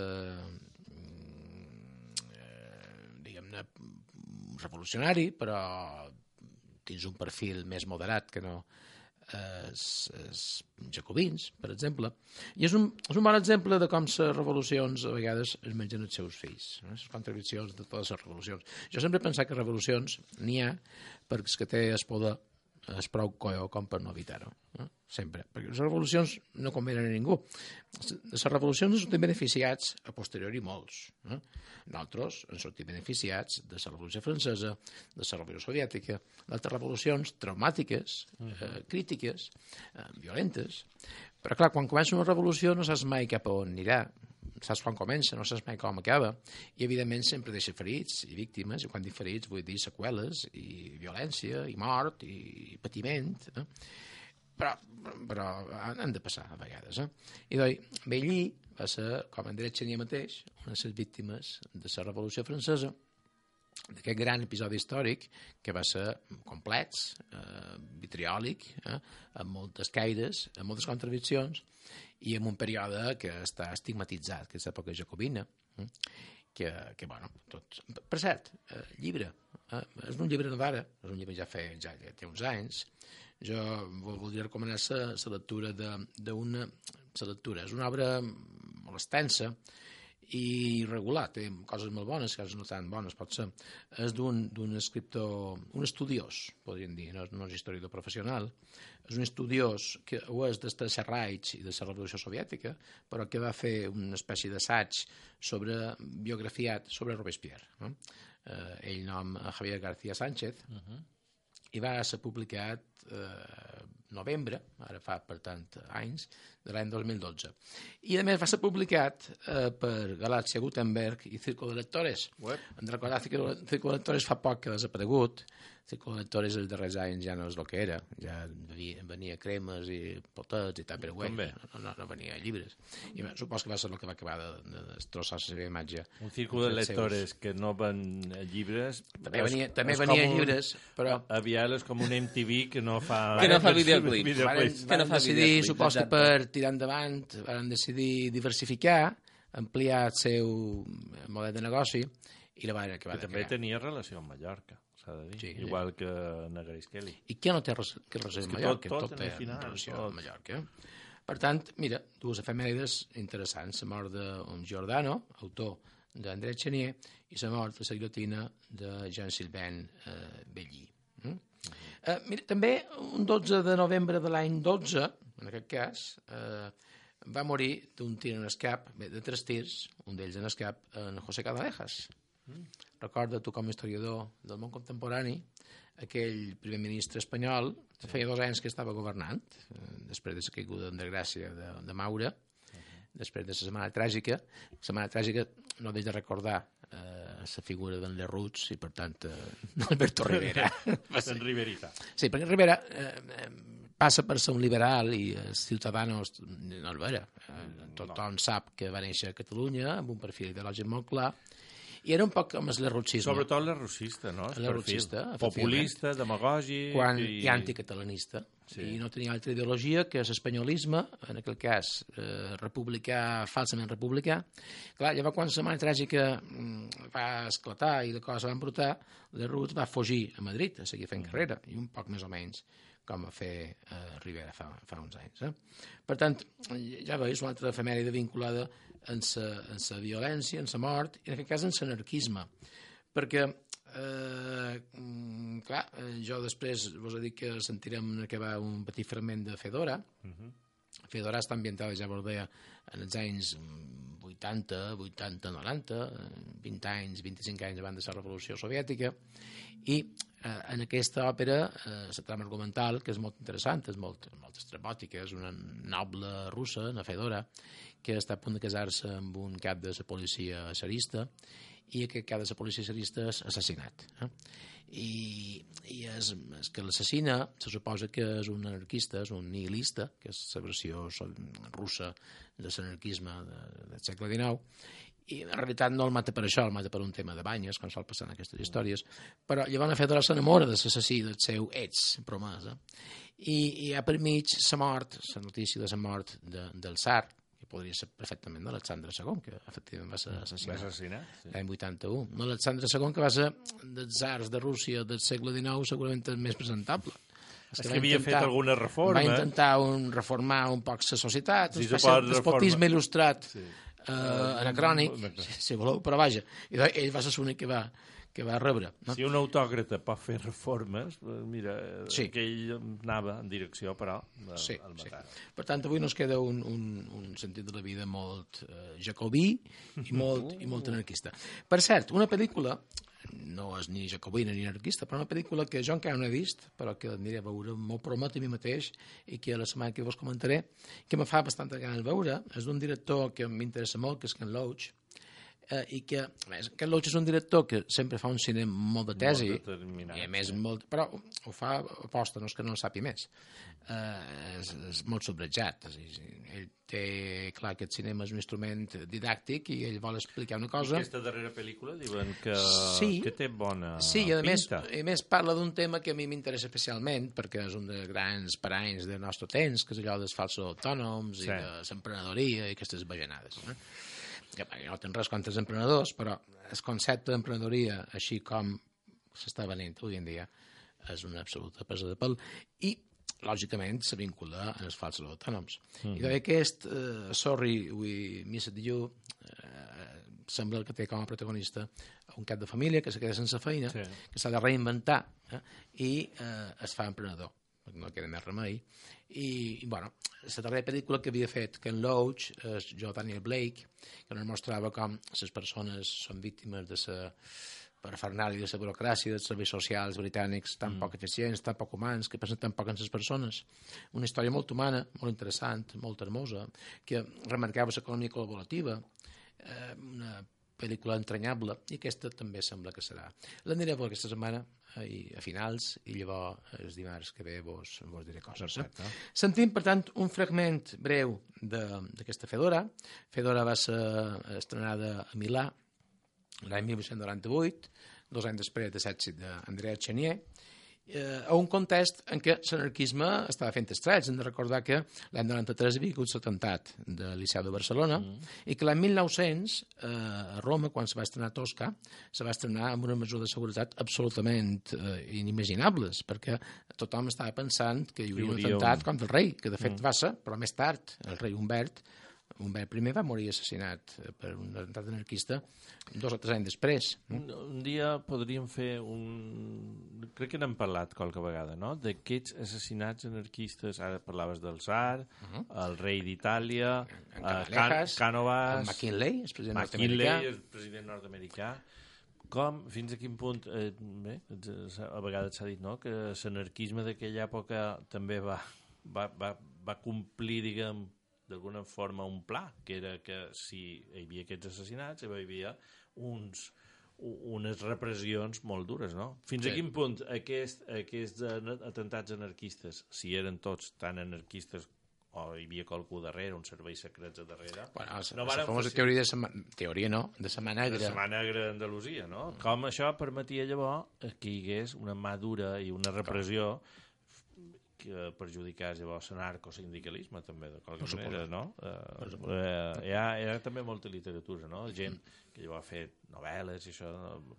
B: eh, diguem-ne, revolucionari, però dins un perfil més moderat que no els, els jacobins, per exemple. I és un, és un bon exemple de com les revolucions a vegades es mengen els seus fills, no? Les contradiccions de totes les revolucions. Jo sempre he pensat que revolucions n'hi ha perquè el que té el poder és prou coio com per no evitar-ho. Eh? Sempre. Perquè les revolucions no convenen a ningú. Les revolucions en sortim beneficiats a posteriori molts. Eh? Nosaltres en sortim beneficiats de la Revolució Francesa, de la Revolució Soviètica, d'altres revolucions traumàtiques, eh, crítiques, eh, violentes. Però clar, quan comença una revolució no saps mai cap a on anirà. Saps quan comença, no saps mai com acaba, i evidentment sempre deixa ferits i víctimes, i quan dic ferits vull dir seqüeles, i violència, i mort, i patiment, eh? però, però han de passar a vegades. Eh? I doncs, Bellí va ser, com André Chenier mateix, una de les víctimes de la Revolució Francesa, d'aquest gran episodi històric que va ser complex, eh, vitriòlic, eh, amb moltes caires, amb moltes contradiccions, i en un període que està estigmatitzat, que és l'època jacobina, eh, que, que, bueno, tot... Per cert, eh, llibre, eh, és un llibre d'ara, és un llibre ja, fe, ja, ja té uns anys, jo voldria recomanar la lectura d'una... La lectura és una obra molt extensa i regular, té coses molt bones, coses no tan bones, pot ser. És d'un escriptor, un estudiós, podríem dir, no, no és historiador professional, és un estudiós que ho és des de Serraig i de la Revolució Soviètica, però que va fer una espècie d'assaig sobre biografiat sobre Robespierre. No? Eh, ell nom Javier García Sánchez, uh -huh. i va ser publicat eh, novembre, ara fa per tant anys, de l'any dos mil dotze. I a més va ser publicat eh, per Galàxia Gutenberg i Círculo de Lectores. Web. Hem de recordar que Círculo de Lectores fa poc que ha desaparegut. Círculo de Lectores els darrers anys ja no és el que era. Ja venia cremes i potets i tal, però bé, no, no, no venia llibres. I bé, supos que va ser el que va acabar de, de destrossar la seva imatge.
A: Un Círculo de Lectores seus... que no ven llibres...
B: També venia, és, també és venia llibres, un, però...
A: Aviat és com un M T V que no fa...
C: Que no fa videoclips.
B: Van, van no decidir, supos que per tirar endavant, van decidir diversificar, ampliar el seu model de negoci i la van acabar
A: que
B: de
A: també
B: crear.
A: tenia relació amb Mallorca, s'ha de dir, sí, igual sí. que Grace Kelly.
B: I què no té res, que relació amb Mallorca?
A: Tot, tot,
B: tot té
A: final,
B: relació
A: tot.
B: amb Mallorca. Per tant, mira, dues efemèrides interessants. La mort d'un Giordano, autor d'André Chenier, i la mort de la guillotina de Jean-Sylvain eh, Bellí. Mm? Mm. Eh, mira, també un dotze de novembre de l'any dotze, en aquest cas, eh, va morir d'un tir en escap, bé, de tres tirs, un d'ells en escap, en José Canalejas. Mm. Recorda tu com a historiador del món contemporani aquell primer ministre espanyol que feia dos anys que estava governant, eh, després de la caiguda en desgràcia de, de Maura, uh-huh. després de la setmana tràgica. La setmana tràgica no deixa de recordar eh, la figura d'en Lerroux i per tant eh, Alberto Rivera.
A: En Riverita.
B: Sí, perquè Rivera eh, passa per ser un liberal i els ciutadans no el vera. Eh, tothom no. Sap que va néixer a Catalunya amb un perfil ideològic molt clar i era un poc com el lerrouxisme.
A: Sobretot lerrouxista, no?
B: El lerrouxista,
A: populista, demagògic...
B: Quan,
A: i...
B: i anticatalanista. Sí. I no tenia altra ideologia que l'espanyolisme, en aquell cas eh, republicà, falsament republicà. Clar, llavors quan la setmana tràgica mm, va esclatar i la cosa va embrutar, Lerroux va fugir a Madrid a seguir fent carrera, i un poc més o menys com va fer eh, Rivera fa, fa uns anys. Eh? Per tant, ja veus, una altra efemèride vinculada en la violència, en la mort, i en aquest cas en l'anarquisme. Perquè, eh, clar, jo després vos he dit que sentirem acabar un petit fragment de Fedora. Uh-huh. Fedora està ambientada, ja vos deia, en els anys vuitanta, vuitanta, noranta, vint anys, vint-i-cinc anys abans de la Revolució Soviètica, i eh, en aquesta òpera eh, la trama argumental, que és molt interessant, és molt, molt estrabòtica, és una noble russa, una Fedora, que està a punt de casar-se amb un cap de la policia tsarista, i aquest cap de la policia tsarista és assassinat. Eh? I, i és, és que l'assassina se suposa que és un anarquista, és un nihilista, que és la versió russa de l'anarquisme de, del segle dinou, i en realitat no el mata per això, el mata per un tema de banyes, com sol passar en aquestes històries, però llavors Fedora s'enamora de l'assassí, del seu ex promesa, i hi ha per mig la mort, la notícia de la mort de, del tsar, que podria ser perfectament d'Alexandre segon, que efectivament va ser assassinat,
A: va assassinat sí.
B: l'any vuitanta-u. Alexandre segon, que va ser dels tsars de Rússia del segle dinou, segurament el més presentable.
A: És que, que havia intentar, fet alguna reforma.
B: Va intentar un, reformar un poc la societat, sí, un despotisme il·lustrat, sí. eh, anacrònic, si, si voleu, però vaja. I ell va ser l'únic que va que va rebre. No?
A: Si un autòcrata pot fer reformes, mira,
B: sí.
A: que ell anava en direcció, però, al
B: sí,
A: matar.
B: Sí. Per tant, avui nos queda un, un, un sentit de la vida molt eh, jacobí i molt, i molt anarquista. Per cert, una pel·lícula, no és ni jacobina ni anarquista, però una pel·lícula que jo encara no he vist, però que aniré a veure, m'ho promet a mi mateix, i que la setmana que vos comentaré, que me fa bastanta gana de veure, és d'un director que m'interessa molt, que és Ken Loach, eh, i que, a més, Ken Loach és un director que sempre fa un cine molt de tesi,
A: molt
B: i a més, molt, però ho fa aposta, no és que no en sàpi més. Eh, és, és molt sobrejat. És, ell té clar que el cinema és un instrument didàctic i ell vol explicar una cosa.
A: Aquesta darrera pel·lícula diuen que,
B: sí,
A: que té bona
B: sí, i a més,
A: pinta.
B: a més parla d'un tema que a mi m'interessa especialment perquè és un dels grans paranys del nostre temps, que és allò dels falsos autònoms sí. i de l'emprenedoria i aquestes bajanades. Eh? Que no tenen res contra els emprenedors, però el concepte d'emprenedoria, així com s'està venint avui en dia, és una absoluta presa de pèl i lògicament se vincula als falsos autònoms. Mm-hmm. I d'aquest uh, Sorry We Missed You uh, sembla que té com a protagonista un cap de família que se queda sense feina, sí. que s'ha de reinventar eh, i uh, es fa emprenedor, perquè no queda més remei. I, i bueno, la darrera pel·lícula que havia fet Ken Loach és jo Daniel Blake, que ens mostrava com les persones són víctimes de la parafernàlia de la burocràcia, dels serveis socials britànics tan mm. poc eficients, tan poc humans, que pensen tan poc en les persones. Una història molt humana, molt interessant, molt hermosa, que remarcava l'economia col·laborativa, eh, una pel·lícula entranyable, i aquesta també sembla que serà. L'aniré a veure aquesta setmana, eh, a finals, i llavors els dimarts que ve vos, vos diré coses. Eh? Sentim, per tant, un fragment breu d'aquesta Fedora. Fedora va ser estrenada a Milà l'any mil vuit-cents noranta-vuit, dos anys després de l'èxit d'Andrea Chenier, eh, a un context en què l'anarquisme estava fent estrets. Hem de recordar que l'any noranta-tres hi havia hagut l'atemptat del Liceu de Barcelona mm. i que l'any mil nou-cents, eh, a Roma, quan se va estrenar Tosca, se va estrenar amb una mesura de seguretat absolutament eh, inimaginables, perquè tothom estava pensant que hi hauria un atemptat un... contra el rei, que de fet mm. va ser, però més tard, el rei Humbert, Humbert primer va morir assassinat per un atemptat anarquista dos o tres anys després.
A: Un, un dia podríem fer un... Crec que n'hem parlat qualque vegada, no? D'aquests assassinats anarquistes, ara parlaves del Tsar, uh -huh. el rei d'Itàlia, uh, Can Cánovas...
B: El McKinley, el president
A: McKinley,
B: nord-americà.
A: el president nord-americà. Com, fins a quin punt... Eh, bé, a vegades s'ha dit, no?, que l'anarquisme d'aquella època també va, va, va, va complir, diguem, d'alguna forma un pla, que era que si hi havia aquests assassinats hi havia uns, unes repressions molt dures, no? Fins sí. a quin punt aquest, aquests atemptats anarquistes, si eren tots tan anarquistes o hi havia qualcú darrere, uns serveis secrets a darrere...
B: Bueno, no la famosa teoria, de sema... teoria no, de la mà negra.
A: De la mà negra d'Andalusia, no? Mm. Com això permetia llavors que hi hagués una mà dura i una repressió que perjudicés llavors el narcosindicalisme també, de qualque no manera, no? Eh, eh, hi, ha, hi ha també molta literatura, no? Gent que llavors ha fet novel·les i això,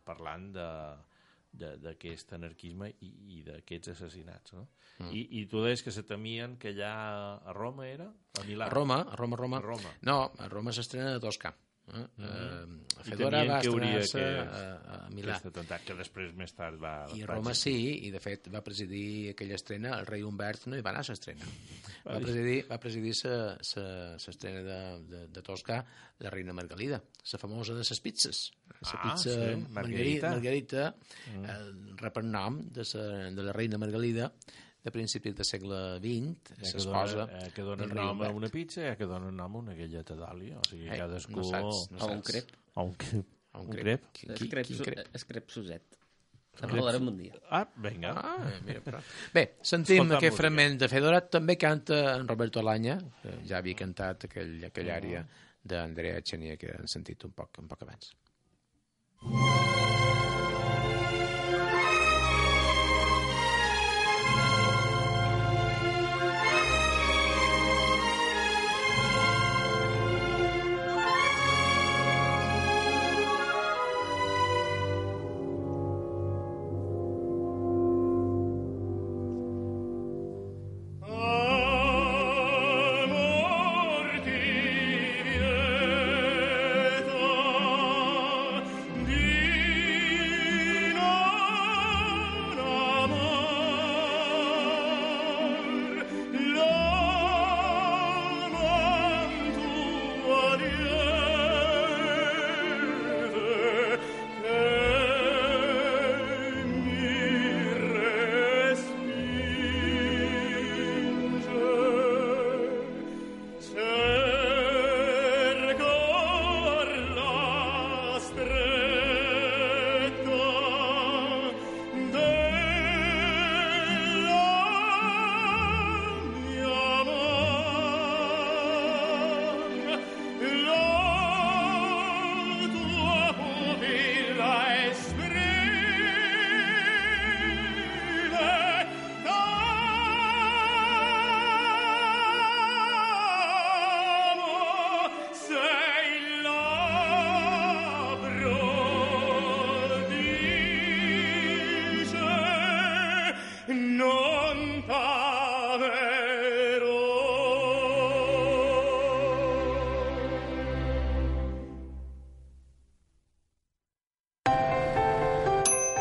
A: parlant de d'aquest anarquisme i, i d'aquests assassinats, no? Mm. I, I tu deies que se temien que allà a Roma era? A Milà?
B: A Roma, a Roma, a Roma.
A: A Roma.
B: No, a Roma s'estrena a Toscà. Eh?
A: Mm.
B: Uh, Fedora va estrenar-se
A: que,
B: a, a Milà.
A: Atemptat, que després més tard va...
B: I a Roma sí, i de fet va presidir aquella estrena, el rei Humbert no hi va anar a l'estrena. Va presidir, va presidir l'estrena de, de, de Tosca la reina Margalida, la famosa de les pizzas. La
A: ah,
B: pizza
A: sí, Margarita.
B: Margarita, mm. eh, rep el nom de, sa, de la reina Margalida, de principis del segle vint, s'esposa
A: eh, que dona nom a una pizza i que dona nom a una galleta d'oli, o sigui,
B: eh,
A: cadascú...
B: No saps, no
C: saps. A un crep.
A: A un crep.
B: A un
C: crep.
B: Qui,
C: qui, crep,
B: quin crep?
C: Es crep Suset. En parlarem un dia.
A: Ah, vinga.
B: Ah, mira, però... Bé, sentim Escolta aquest música. Fragment de Fedora. També canta en Roberto Alaña, que ja havia cantat aquell, aquella àrea d'Andrea Chenier que han sentit un poc, un poc abans.
D: Amor ti vieta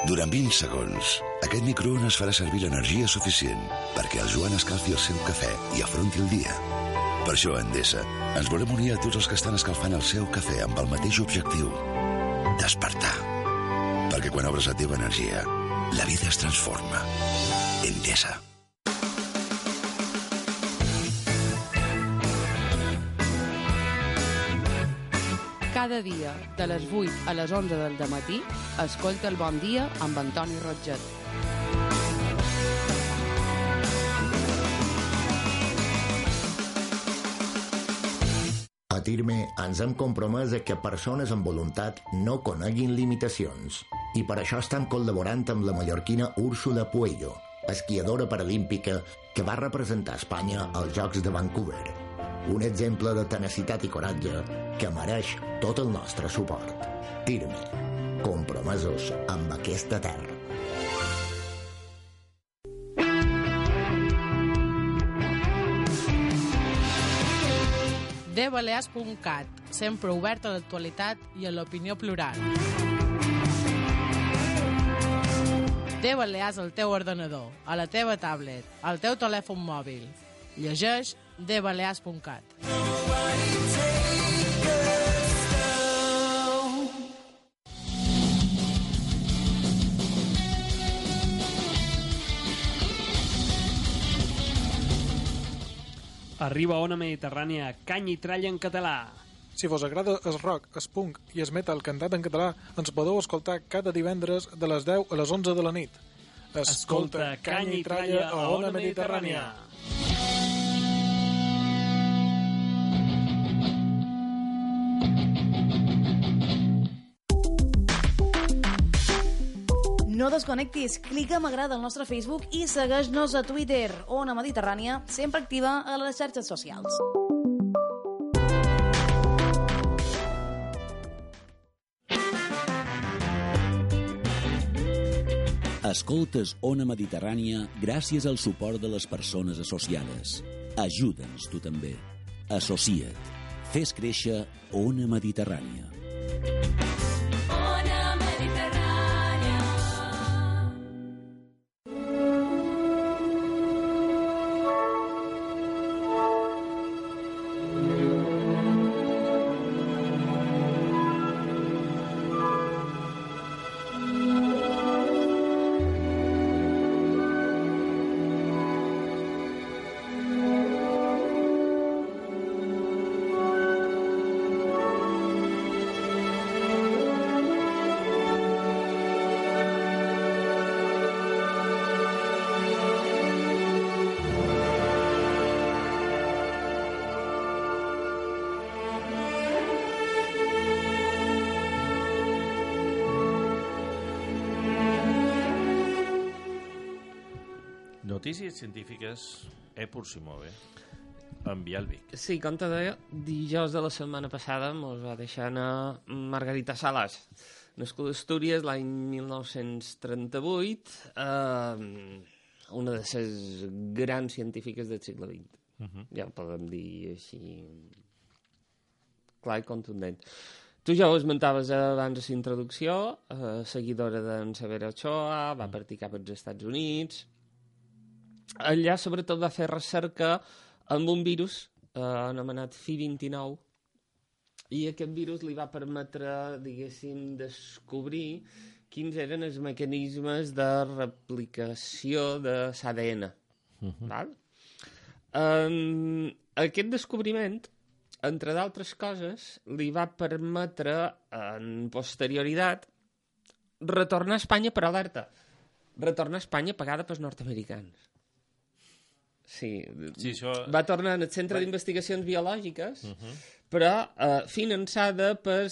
E: Durant vint segons, aquest microones farà servir l'energia suficient perquè el Joan escalfi el seu cafè i afronti el dia. Per això, a Endesa, ens volem unir a tots els que estan escalfant el seu cafè amb el mateix objectiu: despertar. Perquè quan obres la teva energia, la vida es transforma. Endesa.
F: Cada dia, de les vuit a les onze del dematí, escolta el Bon Dia amb Antoni Rotget.
G: A Tirme ens hem compromès a que persones amb voluntat no coneguin limitacions. I per això estem col·laborant amb la mallorquina Úrsula Puello, esquiadora paralímpica que va representar Espanya als Jocs de Vancouver. Un exemple de tenacitat i coratge que mereix tot el nostre suport. Tirme, compromesos amb aquesta terra.
H: de balears punt cat, sempre obert a l'actualitat i a l'opinió plural. De Balears al teu ordenador, a la teva tablet, al teu telèfon mòbil. Llegeix de balears punt cat.
I: Arriba a Ona Mediterrània, canya i tralla en català.
J: Si vos agrada el rock, el punk i el metal cantat en català, ens podeu escoltar cada divendres de les deu a les onze de la nit. Escolta, canya i tralla a Ona Mediterrània.
K: No desconnectis, clica m'agrada al nostre Facebook i segueix-nos a Twitter, Ona Mediterrània, sempre activa a les xarxes socials.
L: Escoltes Ona Mediterrània gràcies al suport de les persones associades. Ajuda'ns tu també. Associa't. Fes créixer Ona Mediterrània.
M: Ona Mediterrània.
A: Notícies científiques, eh, por si move, amb Bialvic.
C: Sí, com te deia, dijous de la setmana passada mos va deixar anar Margarita Salas, nascuda a Astúries l'any mil nou-cents trenta-vuit, eh, una de les grans científiques del segle vint. Uh -huh. Ja ho podem dir així clar i contundent. Tu ja ho esmentaves abans de la introducció, eh, seguidora d'en Severo Ochoa, va partir cap als Estats Units. Allà, sobretot, va fer recerca amb un virus eh, anomenat F I vint-i-nou, i aquest virus li va permetre, diguéssim, descobrir quins eren els mecanismes de replicació de l'A D N. Uh-huh. Val? Um, aquest descobriment, entre d'altres coses, li va permetre, en posterioritat, retornar a Espanya per alerta. Retornar a Espanya pagada pels nord-americans. Sí,
A: sí això...
C: va tornar al Centre d'Investigacions Biològiques, uh-huh. però uh, finançada per,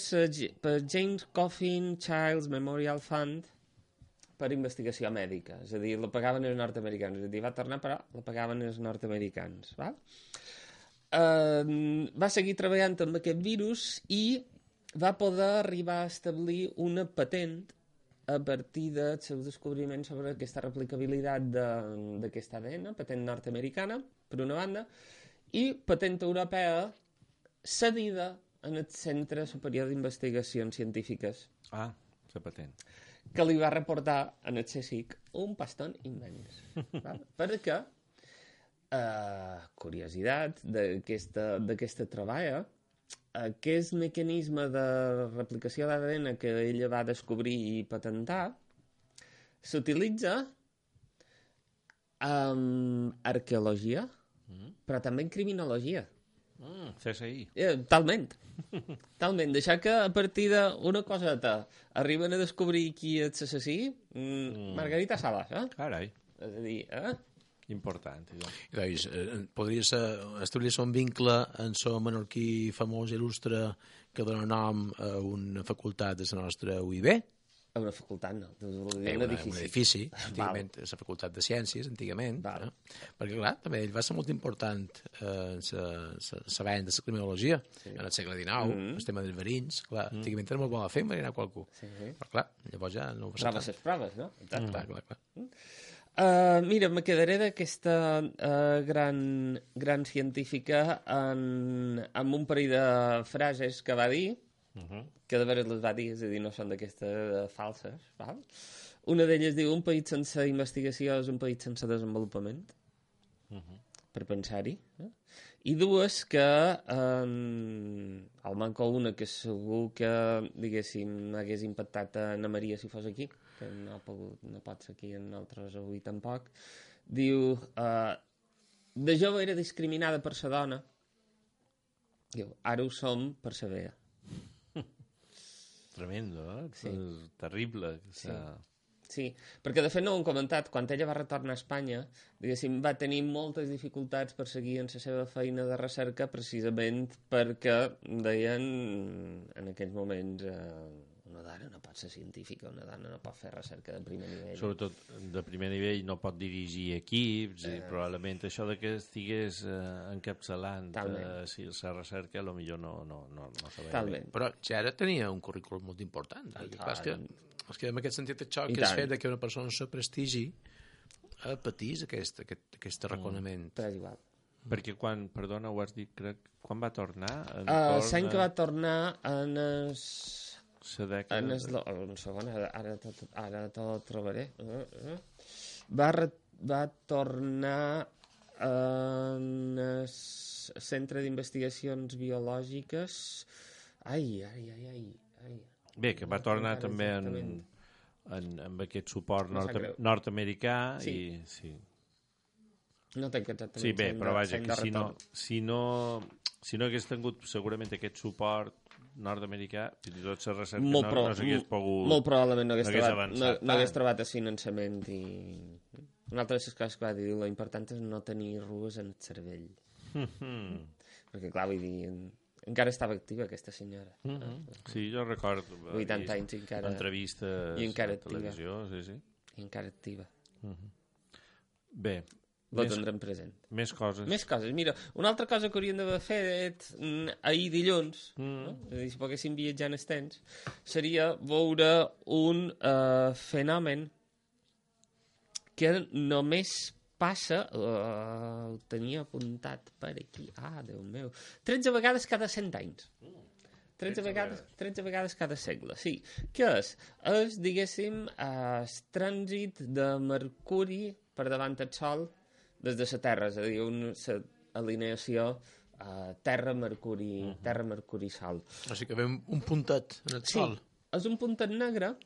C: per James Coffin Child's Memorial Fund per investigació mèdica. És a dir, la pagaven els nord-americans. És a dir, va tornar, però la pagaven els nord-americans. Val? Uh, va seguir treballant amb aquest virus i va poder arribar a establir una patent a partir del seu descobriment sobre aquesta replicabilitat d'aquest A D N, patent nord-americana, per una banda, i patent europea cedida en el Centre Superior d'Investigacions Científiques.
A: Ah, la patent.
C: que li va reportar en el C S I C un pastón immens. Val? Perquè, eh, curiositat d'aquesta troballa, aquest mecanisme de replicació d'A D N que ella va descobrir i patentar s'utilitza en arqueologia, mm. però també en criminologia.
A: Mm, C S I.
C: Eh, talment. Talment. Deixar que a partir d'una coseta arriben a descobrir qui és l'assassí, mm, Margarita Salas, eh?
A: Carai.
C: És a dir, eh?
A: Important.
B: I doncs, eh, podria ser, establir-se un vincle en so menorquí famós i il·lustre que dona nom a una facultat de la nostra U I B?
C: A una facultat, no. Un,
B: eh,
C: un edifici.
B: Un edifici, antigament, la facultat de Ciències, antigament. Eh? Perquè, clar, també ell va ser molt important eh, en la venda de la criminologia, sí. En el segle dinou, mm -hmm. el tema dels verins, clar, mm. antigament era molt bona fer enverinar qualcú. Sí, sí. Però, clar, llavors ja no ho va ser.
C: Proves les proves, no?
B: Exacte. Mm. Clar, clar, clar.
C: Mm. Uh, mira, me quedaré d'aquesta uh, gran, gran científica en, amb un parell de frases que va dir, uh -huh. que de veres les va dir, és a dir, no són d'aquestes uh, falses. Val? Una d'elles diu, un país sense investigació és un país sense desenvolupament, uh -huh. per pensar-hi. Eh? I dues que, um, al manco una que segur que, diguéssim, hagués impactat a Ana Maria si fos aquí, que no, ha pogut, no pot ser aquí en altres avui tampoc, diu, uh, de jove era discriminada per sa dona, diu, ara ho som per sa vea.
A: Tremendo, eh? Sí. És terrible.
C: Sí. Sí, perquè de fet no ho hem comentat, quan ella va retornar a Espanya, diguéssim, va tenir moltes dificultats per seguir en la seva feina de recerca precisament perquè deien en aquells moments eh, una dona no pot ser científica, una dona no pot fer recerca de primer nivell.
A: Sobretot de primer nivell no pot dirigir equips eh. i probablement això de que estigués eh, encapçalant eh, si la recerca potser no, no, no, no sabia bé.
B: Però ja ara tenia un currículum molt important. És que, és que en aquest sentit això que és fet que una persona se prestigi eh, patís aquest, aquest, aquest reconeixement.
C: Mm. És igual.
A: Perquè quan, perdona, ho has dit, crec, quan va tornar?
C: Uh, L'any que va tornar en es...
A: dècada...
C: En es... Un segon, ara, ara, tot, ara tot trobaré. Uh, uh. Va, re... va tornar en el Centre d'Investigacions Biològiques... Ai, ai, ai, ai, ai.
A: Bé, que va tornar també en, en, amb aquest suport nord nord-americà
C: sí.
A: i... Sí.
C: No tenc exactament...
A: Sí, bé, però vaja, que si no, si, no, si no hagués tingut segurament aquest suport nord-americà, fins i tot la recerca
C: molt
A: no,
C: pro,
A: no s'hagués pogut...
C: Molt probablement no hagués,
A: no hagués
C: trobat,
A: avançat.
C: No, no hagués trobat asfinançament i... Una altra de les coses que va dir, lo important és no tenir rues en el cervell. Mm -hmm. Perquè, clar, vull dir... Encara estava activa aquesta senyora.
A: Mm -hmm. Sí, jo recordo
C: vuitanta anys i encara...
A: entrevistes
C: i encara
A: a televisió, sí, sí.
C: I encara activa.
A: Mm -hmm. Bé.
C: Lo tindrem present.
A: Més coses.
C: Més coses. Mira, una altra cosa que hauríem d'haver fet ahir dilluns, mm. no? És a dir, si poguéssim viatjar en el temps, seria veure un uh, fenomen que només passa, uh, ho tenia apuntat per aquí, ah, Déu meu, tretze vegades cada cent anys. tretze vegades, tretze vegades cada segle, sí. Què és? És, diguéssim, el trànsit de Mercuri per davant del Sol des de la Terra, és a dir, una alineació uh, Terra-Mercuri, uh -huh. Terra-Mercuri-Sol.
B: O sigui que ve un puntet en el
C: sí,
B: Sol.
C: És un puntet negre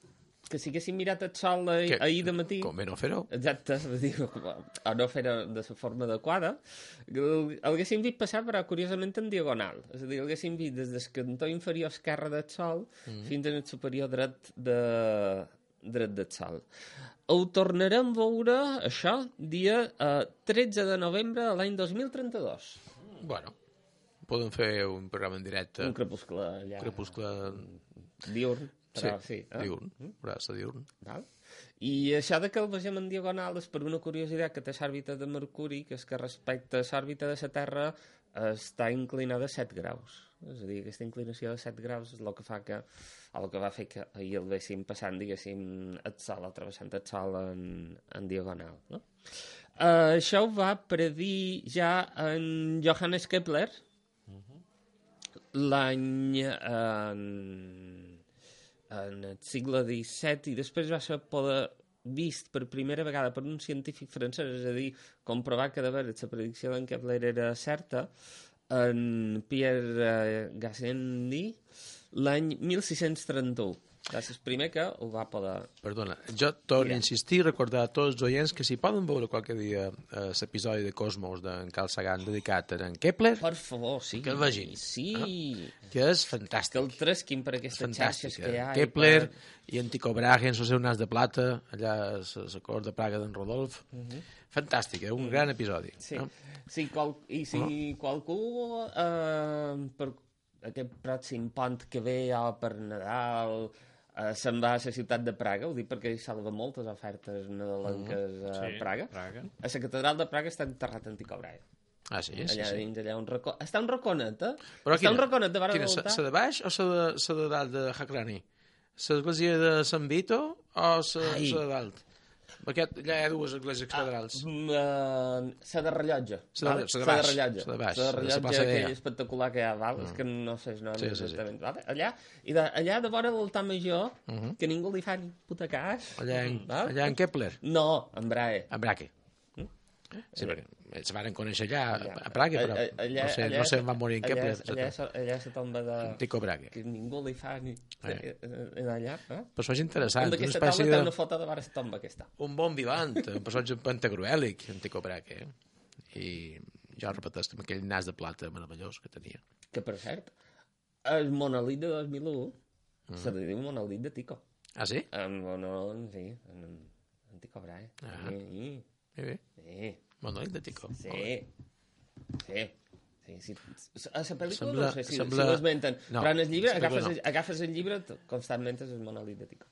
C: que si haguéssim mirat el sol ahir, ahir de matí...
B: Com no fer-ho?
C: Exacte, o no fer-ho de la forma adequada, el haguéssim vist passar, però curiosament en diagonal. És a dir, el haguéssim vist des del cantó inferior esquerre del sol mm. fins al superior dret, de, dret del sol. Ho tornarem a veure, això, dia eh, tretze de novembre de l'any dos mil trenta-dos.
B: Bueno, podem fer un programa en directe.
C: Un crepuscle allà.
B: Un crepuscle...
C: Diurn. Però, sí,
B: sí eh? diurn, braça diurn.
C: Val? I això de que el vegem en diagonal és per una curiositat que té l'òrbita de Mercuri, que és que respecte a l'òrbita de la Terra està inclinada a set graus. És a dir, aquesta inclinació de set graus és el que fa que, el que va fer que ahir el véssim passant, diguéssim, el sol, atrevessant el sol en, en diagonal. No? Uh, això ho va predir ja en Johannes Kepler uh -huh. l'any... Uh, en el segle disset, i després va ser poder vist per primera vegada per un científic francès, és a dir, comprovar que de veres la predicció d'en Kepler era certa, en Pierre Gassendi, l'any mil sis-cents trenta-u. Va ser el primer que ho va poder...
B: Perdona, jo torno a insistir i recordar a tots els oients que si poden veure qualque dia eh, l'episodi de Cosmos d'en Carl Sagan dedicat a en Kepler,
C: per favor, sí.
B: Que el vegin.
C: Sí.
B: Eh? Que és fantàstic.
C: Que el tresquin per aquestes xarxes que hi ha.
B: Kepler i, per... i en Tycho Brahe en el seu nas de plata, allà a la cort de Praga d'en Rodolf. Uh -huh. Fantàstic, eh? un uh -huh. gran episodi.
C: Sí,
B: no?
C: sí qual... i si uh-huh. qualcú eh, per aquest pròxim pont que ve o per Nadal... Uh, se'n va a la ciutat de Praga, ho dic perquè hi salva moltes ofertes nadalenques mm, a sí, Praga. Praga. A la catedral de Praga està enterrat en Tycho Brahe.
B: Ah, sí?
C: Allà
B: sí, sí.
C: dins, allà un racó... Està un raconet, eh?
B: Però
C: està
B: quina,
C: un raconet de vara
B: quina,
C: voltar.
B: La de baix o la de, la de dalt de Hacrani? L'església de Sant Vito o la de dalt? Perquè allà hi ha dues esglésies catedrals.
C: Ah, la de rellotge.
B: La de, de baix. La de baix.
C: La de rellotge, aquell espectacular que hi ha, val? Mm. És que no sé el nom sí, exactament. Sí, sí. Vale? Allà, i de, allà de vora l'altar major, uh -huh. que ningú li fa ni puta cas.
B: Allà en, allà en Kepler?
C: No, en Brahe.
B: En Brahe. Mm? Sí, perquè se van conèixer allà, allà a Praga, però allà, no sé, allà, no sé on van morir en Kepler.
C: Allà, allà, allà la tomba de...
B: Tycho Brahe.
C: Que ningú li fa ni... Eh. En allà, eh?
B: Però això és interessant.
C: Aquesta taula té una foto de vora la tomba aquesta.
B: Un bon vivant, un personatge pantagruèlic, en Tycho Brahe. Eh? I jo repeteix amb aquell nas de plata meravellós que tenia.
C: Que, per cert, el monòlit de dos mil u mm. se li diu monòlit de Tycho.
B: Ah, sí?
C: En monòlit, sí, en, en Tycho Brahe.
B: Ah.
C: Sí.
B: Sí, bé.
C: Sí.
B: Monòlit de Tycho.
C: Sí. Sí. Sí, sí. A la pel·lícula
B: sembla,
C: no sé si,
B: sembla...
C: si ho esmenten,
B: no,
C: però en el llibre agafes,
B: no.
C: el, agafes el llibre constantment és el monòlit de Tycho.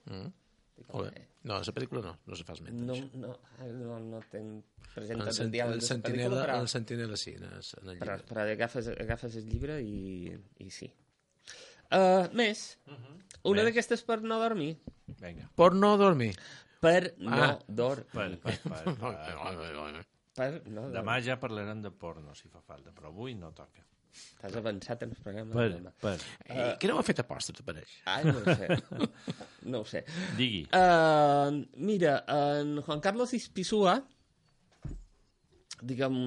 B: Mm. Tycho no, a la pel·lícula no, no se fa esment.
C: No, no, no, no tenc present el,
B: cent, el, sentinela, però... el sentinela sí, en el, en el
C: però, però agafes, agafes el llibre i, i sí. Uh, més, uh -huh. una d'aquestes per no dormir.
A: Vinga.
B: Per no dormir.
C: Per no ah. dormir.
A: Per, per, per, per.
C: Per no
A: demà ja parlarem de porno, si fa falta, però avui no toca.
C: T'has avançat en el programa.
A: Per, per.
B: Uh, Què no m'ha fet aposta, t'apareix?
C: Ai, no ho sé. No ho sé.
A: Digui.
C: Uh, mira, en Juan Carlos Ispizua, diguem,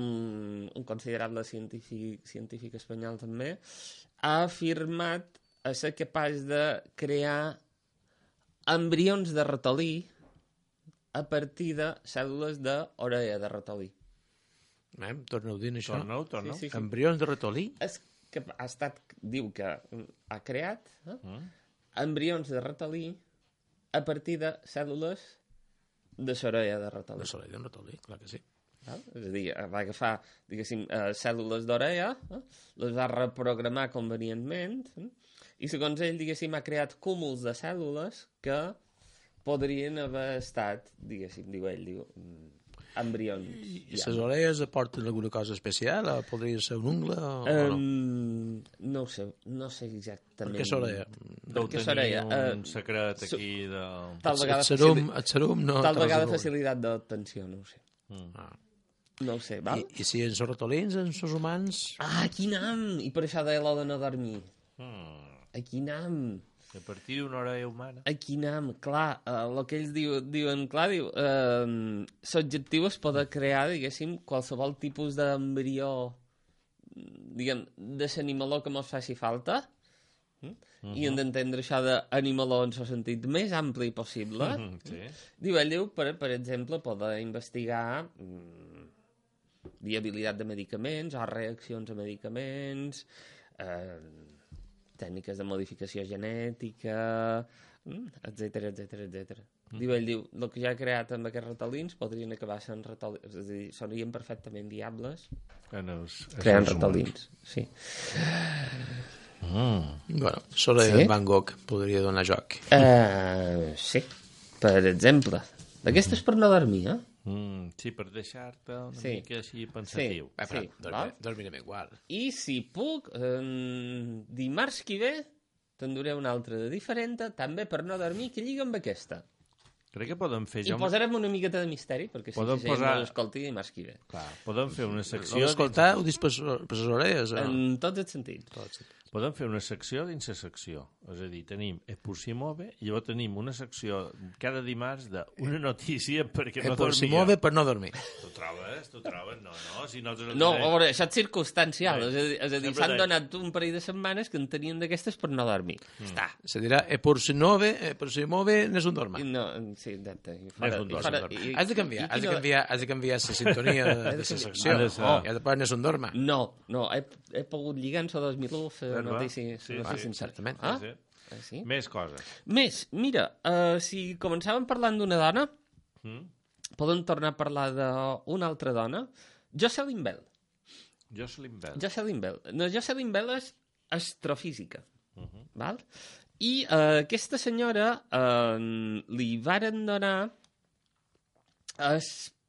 C: un considerable científic, científic espanyol també, ha afirmat a ser capaç de crear embrions de ratolí a partir de cèl·lules d'orella de ratolí.
B: Eh, torna-ho dient, això.
A: Torna-ho, torna-ho.
C: Sí, sí, sí.
B: Embrions de ratolí?
C: És que ha estat, diu que ha creat eh, mm. embrions de ratolí a partir de cèl·lules de l'orella de ratolí.
B: De l'orella de ratolí, clar que sí.
C: Ah, és a dir, va agafar, diguéssim, eh, cèl·lules d'orella, eh, les va reprogramar convenientment, eh, i segons ell, diguéssim, ha creat cúmuls de cèl·lules que podrien haver estat, diguéssim, diu ell, diu, embrions.
B: I les orelles aporten alguna cosa especial? O podria ser un ungle o,
C: um,
B: o no?
C: No ho sé, no sé exactament.
B: Per què l'orella?
A: Deu tenir un uh, secret aquí de...
C: Tal vegada,
B: el serum, el serum no...
C: Tal vegada facilitat d'obtenció, no ho sé.
A: Mm.
B: Ah.
C: No ho sé, val?
B: I, i si ens ratolins, ens els humans...
C: Ah, aquí anam! I per això deia l'ho de no dormir.
A: Mm.
C: Aquí anam.
A: A partir d'una orella humana.
C: Aquí anam, clar, el uh, que ells diu, diuen, clar, diu, uh, l'objectiu és poder crear, diguéssim, qualsevol tipus d'embrió, diguem, de l'animaló que mos faci falta, mm? Uh-huh. I hem d'entendre això d'animaló en el sentit més ampli possible.
A: Uh-huh, sí.
C: Diu, ell diu, per, per exemple, poder investigar mm, viabilitat de medicaments o reaccions a medicaments, eh, tècniques de modificació genètica, etcètera, etcètera, etcètera. Mm. Diu, ell diu, el que ja ha creat amb aquests ratolins podrien acabar sent ratolins, és a dir, serien perfectament viables creant ratolins. Sí.
B: Mm. Bueno, l'orella sí? de Van Gogh podria donar joc.
C: Uh, sí, per exemple. D'aquestes per no dormir, eh?
A: Mm, sí, per deixar-te una
C: sí.
A: mica així pensatiu.
C: Sí, sí,
B: dormirem, dormirem igual.
C: I si puc, eh, dimarts que ve, te'n duré una altra de diferent, també per no dormir, que lliga amb aquesta.
A: Crec que podem fer...
C: I jo... posarem una miqueta de misteri, perquè si
A: podem
C: si
A: posar...
C: no l'escolti dimarts que ve.
A: Clar, podem fer una secció...
B: No l'escoltar, ho dis per les orelles? O...
C: En tots els sentits.
B: Tots.
A: podem fer una secció dins la secció. És a dir, tenim Epursimove i llavors tenim una secció cada dimarts d'una notícia perquè no dormia.
B: Epursimove per no dormir.
A: Tu trobes? Tu trobes? No, no. Si nosaltres
C: no,
A: tenim...
C: a veure, això és circumstancial.
A: Bé,
C: és a dir, és a dir s'han donat un parell de setmanes que en tenien d'aquestes per no dormir. Mm. Està.
B: Se dirà Epursimove, Epursimove n'és un dorma.
C: No, sí, exacte.
B: Fora, un dorma. I, has de canviar, has de canviar, has de canviar la sintonia de la secció. Oh, ja de part n'és un dorma.
C: No, no, he, he pogut lligar en la dos mil u la notícia.
A: Sí, sí, sí,
B: certament.
C: Ah?
A: Sí, sí.
C: Ah, sí?
A: Més coses.
C: Més, mira, uh, si començàvem parlant d'una dona,
A: mm?
C: podem tornar a parlar d'una altra dona, Jocelyn Bell.
A: Jocelyn Bell.
C: Jocelyn Bell. No, Jocelyn Bell és astrofísica.
A: Uh -huh.
C: Val? I uh, aquesta senyora uh, li varen donar el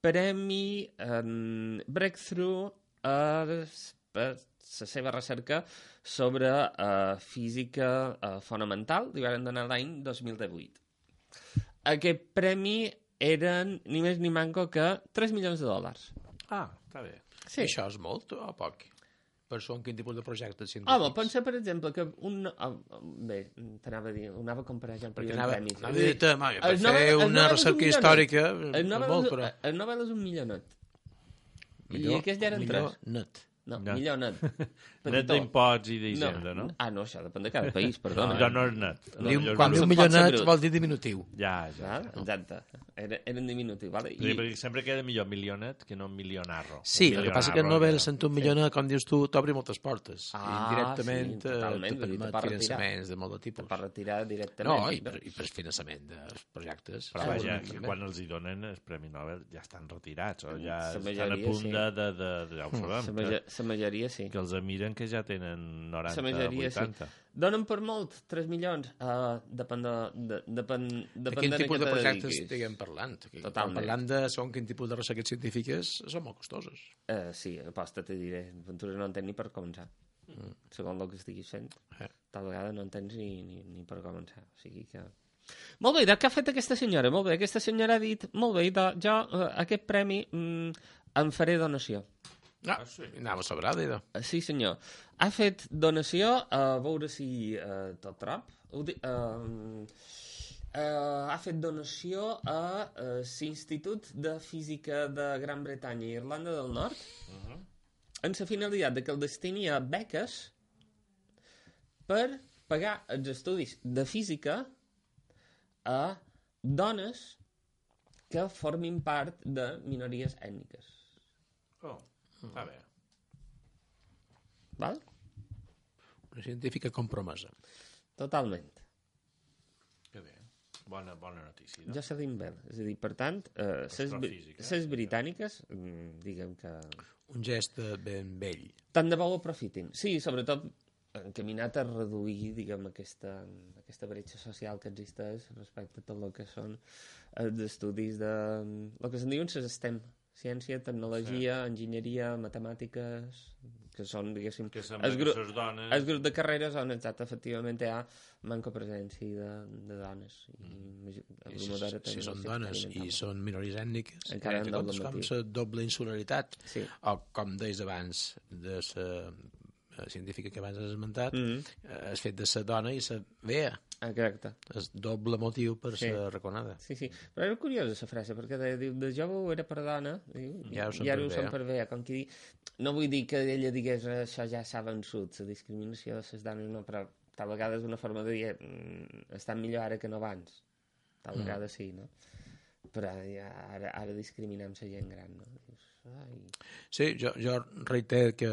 C: premi um, Breakthrough a la seva recerca sobre uh, física uh, fonamental, li van donar l'any dos mil divuit. Aquest premi eren ni més ni manco que tres milions de dòlars.
A: Ah, està bé.
B: Sí. Això és molt o poc? Per això, en quin tipus de projectes científics?
C: Home, pensa, per exemple, que un... Oh, bé, t'anava a dir, ho anava a comparar ja amb
B: anava,
C: premis.
B: Anava a dir-te, per fer una recerca històrica, molt, però...
C: El Nobel és un millonet.
B: Millor,
C: I aquests ja eren
B: millor
C: tres.
B: net.
C: No, no, millor net.
A: Net d'impots i d'hisenda, no.
C: no? Ah, no, això depèn de cada país, perdona.
A: No, no és net.
B: No, diu, quan diu millor net vol dir diminutiu.
A: Ja, ja.
C: ja. Exacte. Era, era en diminutiu, vale?
A: I... Sí, sempre queda millor milionet que no milionarro.
B: Sí, el que passa que el Nobel sent un milionet, com dius tu, t'obri moltes portes.
C: Ah,
B: indirectament
C: sí, totalment.
B: te permet finançaments de molt de tipus.
C: Per retirar directament.
B: No, i per, i per finançament dels projectes.
A: Però vaja, que quan els hi donen el Premi Nobel ja estan retirats, o ja estan a punt de, de, de, de... Ja ho sabem.
C: La majoria sí.
A: Que els miren que ja tenen noranta, vuitanta.
C: Sí. Donen per molt, tres milions. Uh, depèn de... de, depèn,
B: de quin tipus de projectes estiguem parlant?
C: Totalment.
B: Parlant de segons quin tipus de recerques científiques són molt costoses.
C: Uh, sí, aposta, te diré. Ventures no entens ni per començar. Mm. Segons el que estiguis fent. Eh. Tal vegada no entens ni, ni, ni per començar. O sigui que... Molt bé, de què ha fet aquesta senyora? Molt bé, aquesta senyora ha dit, molt bé, de, jo uh, aquest premi mm, em faré donació.
B: Ah, sí. Anava sobrada, idò.
C: Sí, senyor. Ha fet donació, a veure si uh, tot trop, uh, uh, ha fet donació a uh, l'Institut de Física de Gran Bretanya i Irlanda del Nord, uh -huh. amb la finalitat de que el destini a beques per pagar els estudis de física a dones que formin part de minories ètniques.
A: Oh. Està bé.
C: Val?
B: Una científica compromesa.
C: Totalment.
A: Que bé. Bona, bona notícia.
C: No? Jocelyn Bell. És a dir, per tant, eh, les britàniques, diguem que...
B: Un gest ben vell.
C: Tant de bo ho aprofitin. Sí, sobretot encaminat a reduir, diguem, aquesta, aquesta bretxa social que existeix respecte a tot el que són els estudis de... el que se'n diuen les STEM. Ciència, tecnologia, sí. enginyeria, matemàtiques, que són, diguéssim...
A: Que sembla
C: el grup,
A: que dones...
C: El grup de carreres on, exacte, efectivament, hi ha manca presència de, de dones. I, mm.
B: I si, si són dones i són minories ètniques,
C: encara en doble
B: com la doble insularitat,
C: sí.
B: o com deies abans de la científica que abans has esmentat, mm -hmm. el fet de ser dona i ser vea.
C: Exacte.
B: És doble motiu per
C: sí.
B: ser reconada.
C: Sí, sí. Però era curiosa la frase, perquè de, de, de jove ho era per dona, diu,
B: ja ho
C: i ara ho són per vea. Com que no vull dir que ella digués això ja s'ha vençut, la discriminació de les dones, no, però tal vegada és una forma de dir mm, estan millor ara que no abans. Tal mm. vegada sí, no? Però ja, ara, ara discriminem la gent gran, no? Dius, ai...
B: Sí, jo, jo reiter que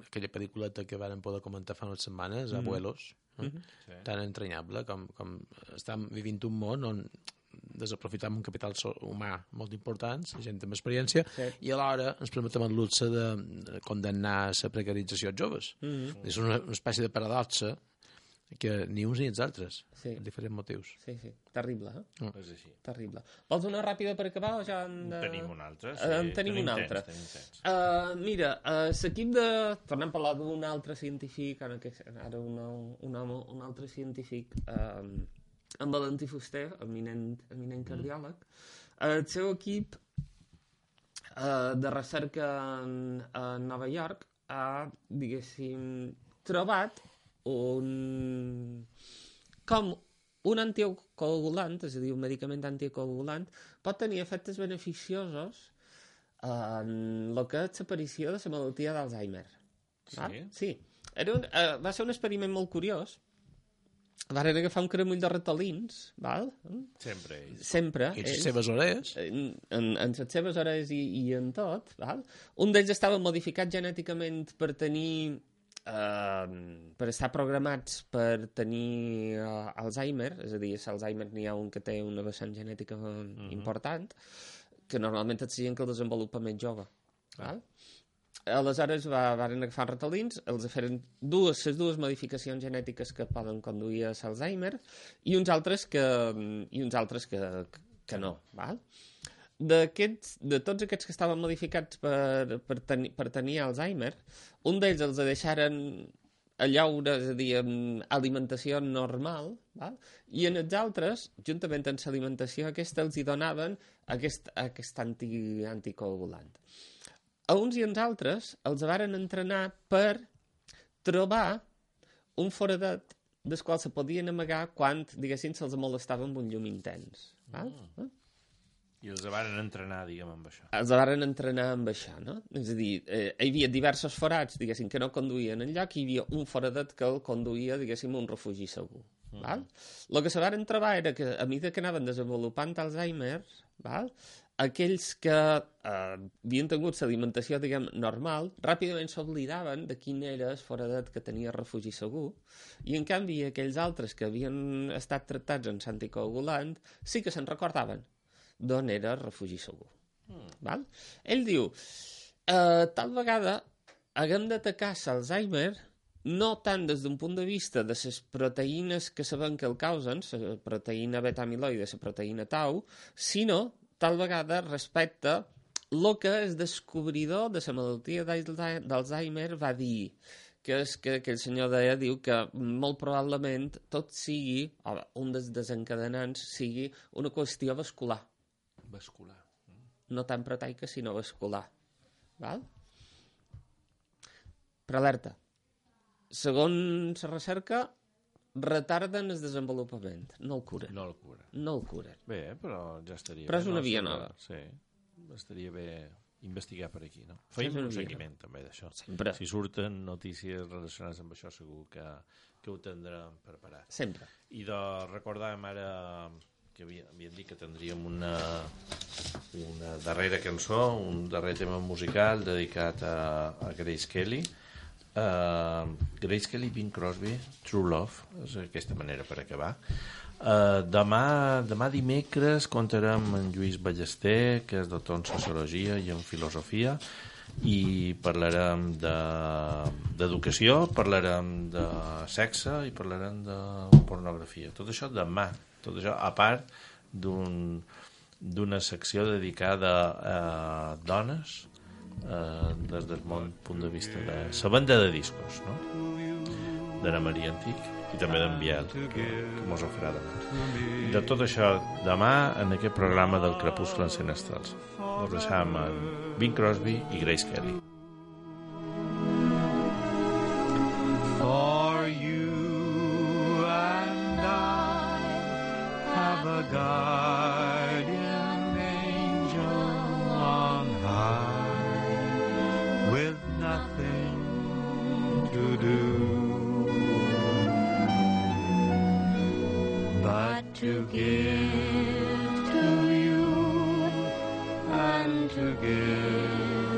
B: aquella pel·lículeta que vàrem poder comentar fa unes setmanes, mm. Abuelos, eh? mm-hmm. sí. tan entranyable com, com estem vivint un món on desaprofitam un capital humà molt important, gent amb experiència, sí. i alhora ens permetem el luxe de condemnar la precarització als joves. Mm-hmm. És una, una espècie de paradoxa que ni uns ni els altres,
C: sí.
B: per diferents motius.
C: Sí, sí. Terrible, eh?
A: Mm. És així.
C: Terrible. Vols una ràpida per acabar o ja en de...
A: Tenim una altra, sí.
C: Uh, tenim, tenim una altra.
A: Temps,
C: uh, mira, uh, l'equip de... Tornem a parlar d'un altre científic, ara, que, ara un, un, home, un altre científic, uh, en Valentí Fuster, eminent, eminent cardiòleg. Uh, el seu equip uh, de recerca en, a Nova York ha, diguéssim, trobat un... com un anticoagulant, és a dir, un medicament anticoagulant, pot tenir efectes beneficiosos en el que és l'aparició de la malaltia d'Alzheimer.
A: Sí?
C: Sí. Era un, uh, va ser un experiment molt curiós. Varen agafar un cremull de ratolins, val?
A: Sempre ells.
C: Sempre.
B: I les seves orelles.
C: En, en, en les seves orelles i, i en tot, val? Un d'ells estava modificat genèticament per tenir... Uh, per estar programats per tenir uh, Alzheimer, és a dir, l'Alzheimer n'hi ha un que té una vessant genètica mm-hmm. important, que normalment és gent que el desenvolupa més jove. Ah. Val? Aleshores va, van agafar ratolins, els feren dues, les dues modificacions genètiques que poden conduir a l'Alzheimer i uns altres que, i uns altres que, que no. Val? D'aquests, de tots aquests que estaven modificats per, per, tenir, per tenir Alzheimer, un d'ells els deixaren a llaure, és a dir, amb alimentació normal, val? I en els altres, juntament amb l'alimentació aquesta, els hi donaven aquest, aquest anti, anticoagulant. A uns i als altres els varen entrenar per trobar un foradet del qual se podien amagar quan, diguéssim, se'ls molestava amb un llum intens. Val? Mm.
A: I els varen entrenar, diguem, amb això.
C: Els varen entrenar amb això, no? És a dir, eh, hi havia diversos forats, diguéssim, que no conduïen enlloc, i hi havia un foradet que el conduïa, diguéssim, un refugi segur. Mm. Val? El que se varen trobar era que, a mesura que anaven desenvolupant Alzheimer, val? Aquells que eh, havien tingut l'alimentació, diguem, normal, ràpidament s'oblidaven de quin era el foradet que tenia refugi segur, i en canvi aquells altres que havien estat tractats amb l'anticoagulant sí que se'n recordaven d'on era el refugi segur. Mm. Val? Ell diu, eh, tal vegada haguem d'atacar l'Alzheimer no tant des d'un punt de vista de les proteïnes que sabem que el causen, la proteïna beta-amiloide, la proteïna tau, sinó tal vegada respecte el que el descobridor de la malaltia d'Alzheimer va dir, que és que aquell senyor deia, diu que molt probablement tot sigui, o un dels desencadenants sigui una qüestió vascular.
A: Vascular.
C: No tant proteica, sinó vascular. Val? Però alerta. Segons la recerca, retarden el desenvolupament, no el curen.
A: No el curen.
C: No el curen.
A: Bé, però ja estaria
C: però
A: bé.
C: Però és una
A: no?
C: via nova.
A: Sí, estaria bé investigar per aquí, no? Feim un seguiment també d'això.
C: Sempre.
A: Si surten notícies relacionades amb això, segur que, que ho tindrem preparat.
C: Sempre.
A: I de recordàvem ara que havíem dit que tindríem una, una darrera cançó, un darrer tema musical dedicat a, a Grace Kelly. Uh, Grace Kelly, Bing Crosby, True Love, és aquesta manera per acabar. Uh, demà, demà dimecres comptarem amb Lluís Ballester, que és doctor en Sociologia i en Filosofia, i parlarem d'educació, de, parlarem de sexe i parlarem de pornografia. Tot això demà, tot això a part d'un, d'una secció dedicada a dones, Uh, des del bon punt de vista de la venda de discos, no? d'Anna Maria Antic i també d'en Biel, que, que mos ho farà demà. I de tot això demà en aquest programa del Crepuscle en Senestrals. Us deixam amb Bing Crosby i Grace Kelly.
M: For you and I have a guardian angel on high, with nothing to do but to give to you and to give